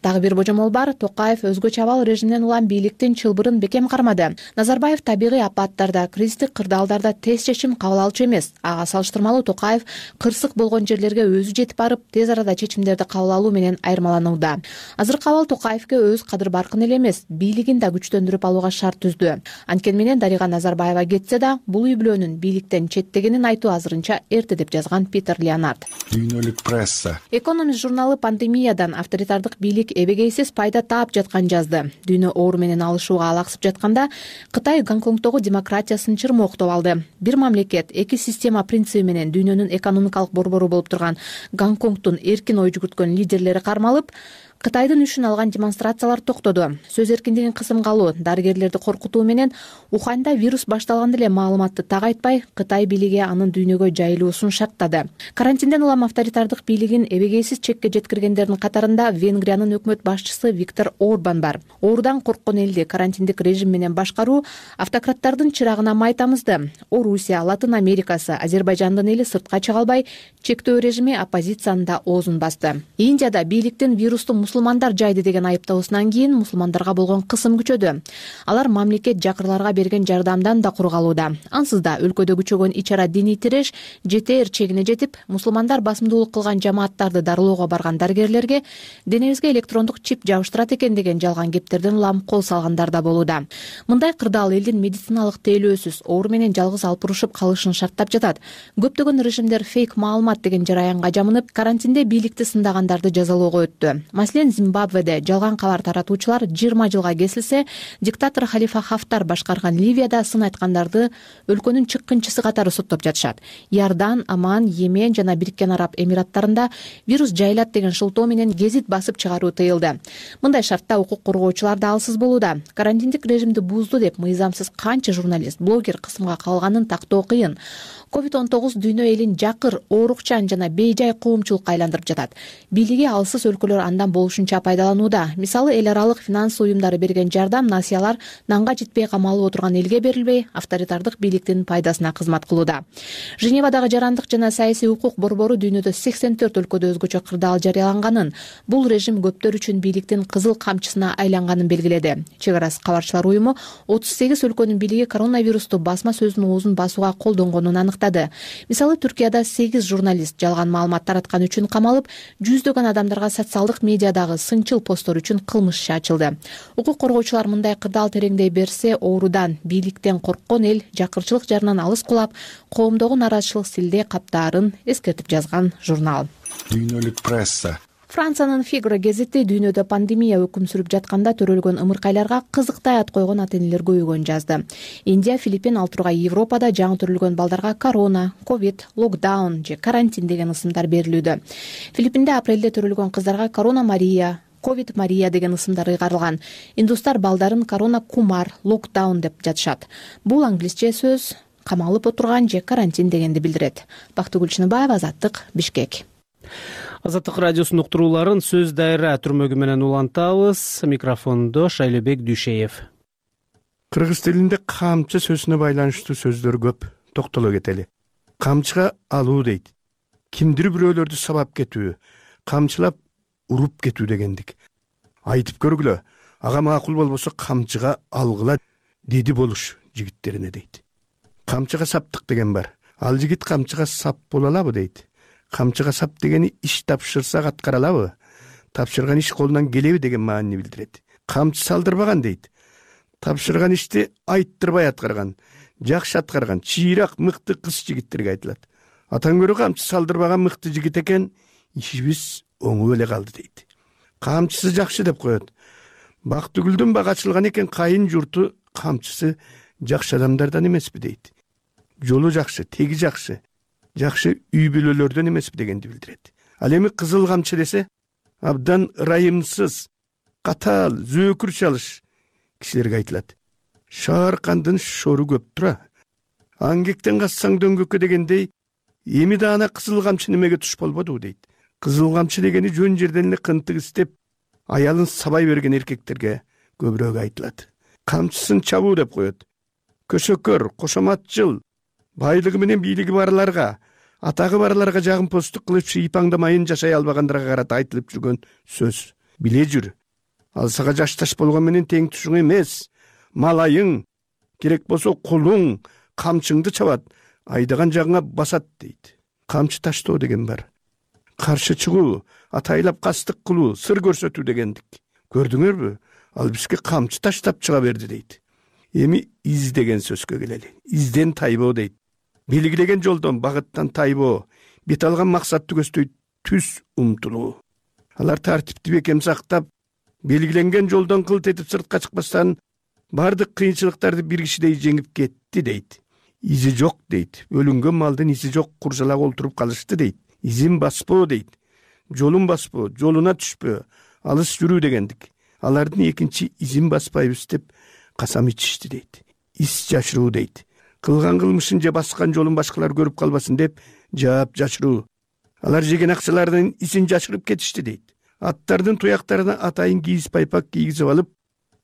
Дагы бир божомол бар, Токаев өзгөчө абал режимден улам бийликтин чылбырын бекем кармады. Назарбаев табигый апаттарда, кризистик кырдаалдарда тез чечим кабыл алчу эмес. Ага салыштырмалуу Токаев кырсык болгон жерлерге өзү жетип барып, тез арада чечимдерди кабыл алуу менен айырмаланууда. Азыркы абал Токаевге өз кадыр баркын эле эмес, бийлигин да күчтөндүрүп алууга шарт түздү. Анткени менен Дарига Назарбаева кетсе да, бул үй бүлөнүн бийликтен четтегенин айтуу азырынча эрте деп жазган Питер Леонард. Дүйнөлүк пресса. Экономист журналы пандемиядан авторитардык бийлик эбегейсиз пайда таап жаткан жазды. Дүйнө оору менен алышууга алаксып жатканда, Кытай Гонконгдогу демократиясын чырмооктоп алды. Бир мамлекет, эки система принциби менен дүйнөнүн экономикалык борбору болуп турган Гонконгдун эркин ой жүгүрткөн лидерлери кармалып, Кытайдын үчүн алган демонстрациялар токтоду. Сөз эркиндигин кысымга алуу, дарыгерлерди коркутуу менен Уханда вирус башталганда эле маалыматты так айтпай, Кытай бийлиги анын дүйнөгө жайылуусун шарттады. Карантинден улам авторитардык бийлигин эбегейсиз чекке жеткиргендердин катарында Венгриянын өкмөт башчысы Виктор Орбан бар. Оорудан корккон элди карантиндик режим менен башкаруу автократтардын чырагына май тамызды. Орусия, Латын Америкасы, Азербайжандын эли сыртка чыга албай, чектөө режими оппозициянын да оозун басты. Индияда бийликтин вирусту мусулмандар жайды деген айыптоосунан кийин мусулмандарга болгон кысым күчөдү. Алар мамлекет жакырларга берген жардамдан да кур калууда. Ансыз да өлкөдө күчөгөн ич-ара диний тиреш жетээр чегине жетип, мусулмандар басымдуулук кылган жамааттарды дарылоого барган дарыгерлерге денебизге электрондук чип жабыштырат экен деген жалган кептерден улам кол салгандар да болууда. Мындай кырдаал элдин медициналык тейлөөсүз оору менен жалгыз алпурушуп калышын шарттап жатат. Көптөгөн режимдер фейк маалымат деген жараянга жамынып, карантинде бийликти сындагандарды жазалоого өттү. Маселен, Зимбабведе жалган кабар таратуучулар жыйырма жылга кесилсе, диктатор Халифа Хафтар башкарган Ливияда сын айткандарды өлкөнүн чыккынчысы катары соттоп жатышат. Иордан, Оман, Йемен жана Бириккен Араб Эмираттарында вирус жайылат деген шылтоо менен гезит басып чыгаруу тыйылды. Мындай шартта укук коргоочулар да алсыз болууда. Карантиндик режимди бузду деп мыйзамсыз канча журналист, блогер кысымга калганын тактоо кыйын. ковид он тогуз дүйнө элин жакыр, оорукчан жана бейжай коомчулукка айландырып жатат. Бийлиги алсыз өлкөлөр андан болушунча пайдаланууда. Мисалы, эл аралык финанс уюмдары берген жардам, насыялар нанга жетпей камалып отурган элге берилбей, авторитардык бийликтин пайдасына кызмат кылууда. Женевадагы жарандык жана саясий укук борбору дүйнөдө сексен төрт өлкөдө өзгөчө кырдаал жарыяланганын, бул режим көптөр үчүн бийликтин кызыл камчысына айланганын белгиледи. Чек арасы кабарчылар уюму отуз сегиз өлкөнүн бийлиги коронавирусту басма сөздүн оозун басууга колдонгонун аныктады. Мисалы, Түркияда сегиз журналист жалган маалымат тараткан үчүн камалып, жүздөгөн адамдарга социалдык медиадагы сынчыл посттор үчүн кылмыш иши ачылды. Укук коргоочулар мындай кырдаал тереңдей берсе, оорудан, бийликтен корккон эл жакырчылык жарынан алыс кулап, коомдогу нааразычылык силде каптаарын эскертип жазган журнал. Дүйнөлүк пресса. Франциянын Фигро гезити дүйнөдө пандемия өкүм сүрүп жатканда төрөлгөн ымыркайларга кызыктай ат койгон ата-энелер көбөйгөнүн жазды. Индия, Филиппин, ал тургай Европада жаңы төрөлгөн балдарга корона, ковид, локдаун же карантин деген ысымдар берилүүдө. Филиппинде апрелде төрөлгөн кыздарга корона Мария, ковид Мария деген ысымдар ыйгарылган. Индустар балдарын корона Кумар, локдаун деп жатышат. Бул англисче сөз камалып отурган же карантин дегенди билдирет. Бактыгүл Чыныбаева, Азаттык, Бишкек. Азаттык радиосунун уктурууларын сөз дайра түрмөгү менен улантабыз. Микрофондо Шайлебек Дүйшеев. Кыргыз тилинде камчы сөзүнө байланыштуу сөздөр көп. Токтоло кетели. Камчыга алуу дейт. Кимдир бирөөлөрдү сабап кетүү, камчылап уруп кетүү дегендик. Айтып көргүлө. Ага макул болбосо камчыга алгыла деди болуш жигиттерине дейт. Камчыга саптык деген бар. Ал жигит камчыга сап боло алабы дейт. Камчыга сап дегени иш тапшырсак аткара алабы? Тапшырган иш колунан келеби деген маанини билдирет. Камчы салдырбаган дейт. Тапшырган ишти айттырбай аткарган, жакшы аткарган, чыйрак, мыкты кыз жигиттерге айтылат. Атан көрө камчы салдырбаган мыкты жигит экен, ишибиз оңуп эле калды дейт. Камчысы жакшы деп коет. Бактыгүлдүн бак ачылган экен, кайын журту камчысы жакшы адамдардан эмеспи дейт. Жолу жакшы, теги жакшы. Жакшы үй бүлөлөрдөн эмеспи дегенди билдирет. Ал эми кызыл камчы десе, абдан ырайымсыз, катаал, зөөкүр чалыш кишилерге айтылат. Шаар кандын шору көп тура. Аңгектен кассаң дөңгөккө дегендей, эми да ана кызыл камчы немеге туш болбоду дейт. Кызыл камчы дегени жөн жерден эле кынтык истеп, аялын сабай берген эркектерге көбүрөөк айтылат. Камчысын чабуу деп коет. Көсөкөр, кошоматчыл, байлыгы менен бийлиги барларга, атагы барларга жагымпоздук кылып шыйпаңдамайын жашай албагандырга карата айтылып жүргөн сөз. Биле жүр. Ал сага жашташ болгон менен тең тушуң эмес. Малайың, керек болсо кулуң, камчыңды чабат, айдаган жагыңа басат дейт. Камчы таштоо деген бар. Каршы чыгуу, атайлап кастык кылуу, сыр көрсөтүү дегендик. Көрдүңөрбү? Ал бизге камчы таштап чыга берди дейт. Эми из деген сөзгө келели. Изден тайбоо дейт. Белгилеген жолдон, багыттан тайбоо, бет алган максатты көздөй түз умтулуу. Алар тартипти бекем сактап, белгиленген жолдон кылт этип сыртка чыкпастан, бардык кыйынчылыктарды бир кишидей жеңип кетти дейт. Изи жок дейт. Өлүнгөн малдын изи жок, куржалак олтуруп калышты дейт. Изин баспоо дейт. Жолун баспоо, жолуна түшпөө, алыс жүрүү дегендик. Алардын экинчи изин баспайбыз деп касам ичишти дейт. Ис жашыруу дейт. Кылган кылмышын же баскан жолун башкалар көрүп калбасын деп жаап жашыруу. Алар жеген акчалардын исин жашырып кетишти дейт. Аттардын туяктарына атайын кийиз пайпак кийгизип алып,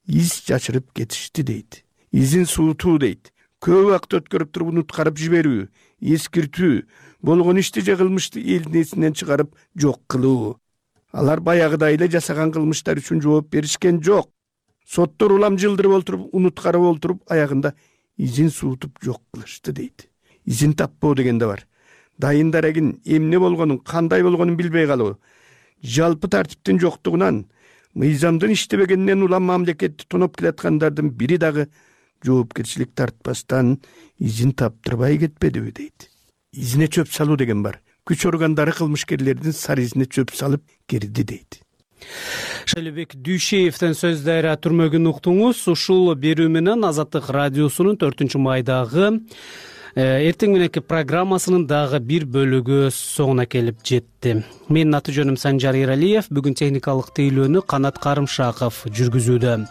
из жашырып кетишти дейт. Изин суутуу дейт. Көп убакыт өткөрүп туруп унуткарып жиберүү, эскиртүү, болгон ишти же кылмышты элдин эсинен чыгарып жок кылуу. алар баягыдай эле жасаган кылмыштар үчүн жооп беришкен жок. Соттор улам жылдырып олтуруп, унуткарып олтуруп, аягында изин суутуп жок кылышты дейт. Изин таппоо деген да бар. Дайын дарегин эмне болгонун, кандай болгонун билбей калуу, жалпы тартиптин жоктугунан, мыйзамдын иштебегенинен улам мамлекетти тоноп келаткандардын бири дагы жоопкерчилик тартпастан изин таптырбай кетпедиби дейт. Изине чөп салуу деген бар. Күч органдары кылмышкерлердин сары изине чөп салып кирди дейт. Шайлебек Дүйшеевдин сөздөрү түрмөгүн уктуңуз. Ушул берүү менен Азаттык радиосунун төртүнчү майдагы эртең мененки программасынын дагы бир бөлүгү соңуна келип жетти. Менин аты жөнүм Санжар Эралиев, бүгүн техникалык тейлөөнү Канат Карымшаков жүргүзүүдө.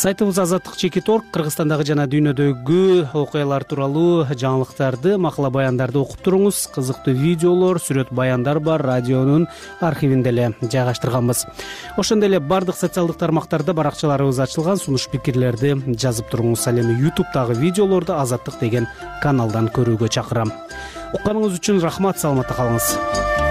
Сайтыбыз азаттык чекит точка орг Кыргызстандагы жана дүйнөдөгү окуялар тууралуу жаңылыктарды, макала баяндарды окуп туруңуз. Кызыктуу видеолор, сүрөт баяндар бар, радионун архивинде эле жайгаштырганбыз. Ошондой эле бардык социалдык тармактарда баракчаларыбыз ачылган, сунуш пикирлерди жазып туруңуз. Ал эми ютубтагы видеолорду Азаттык деген каналдан көрүүгө чакырам. Укканыңыз үчүн рахмат, саламатта калыңыз.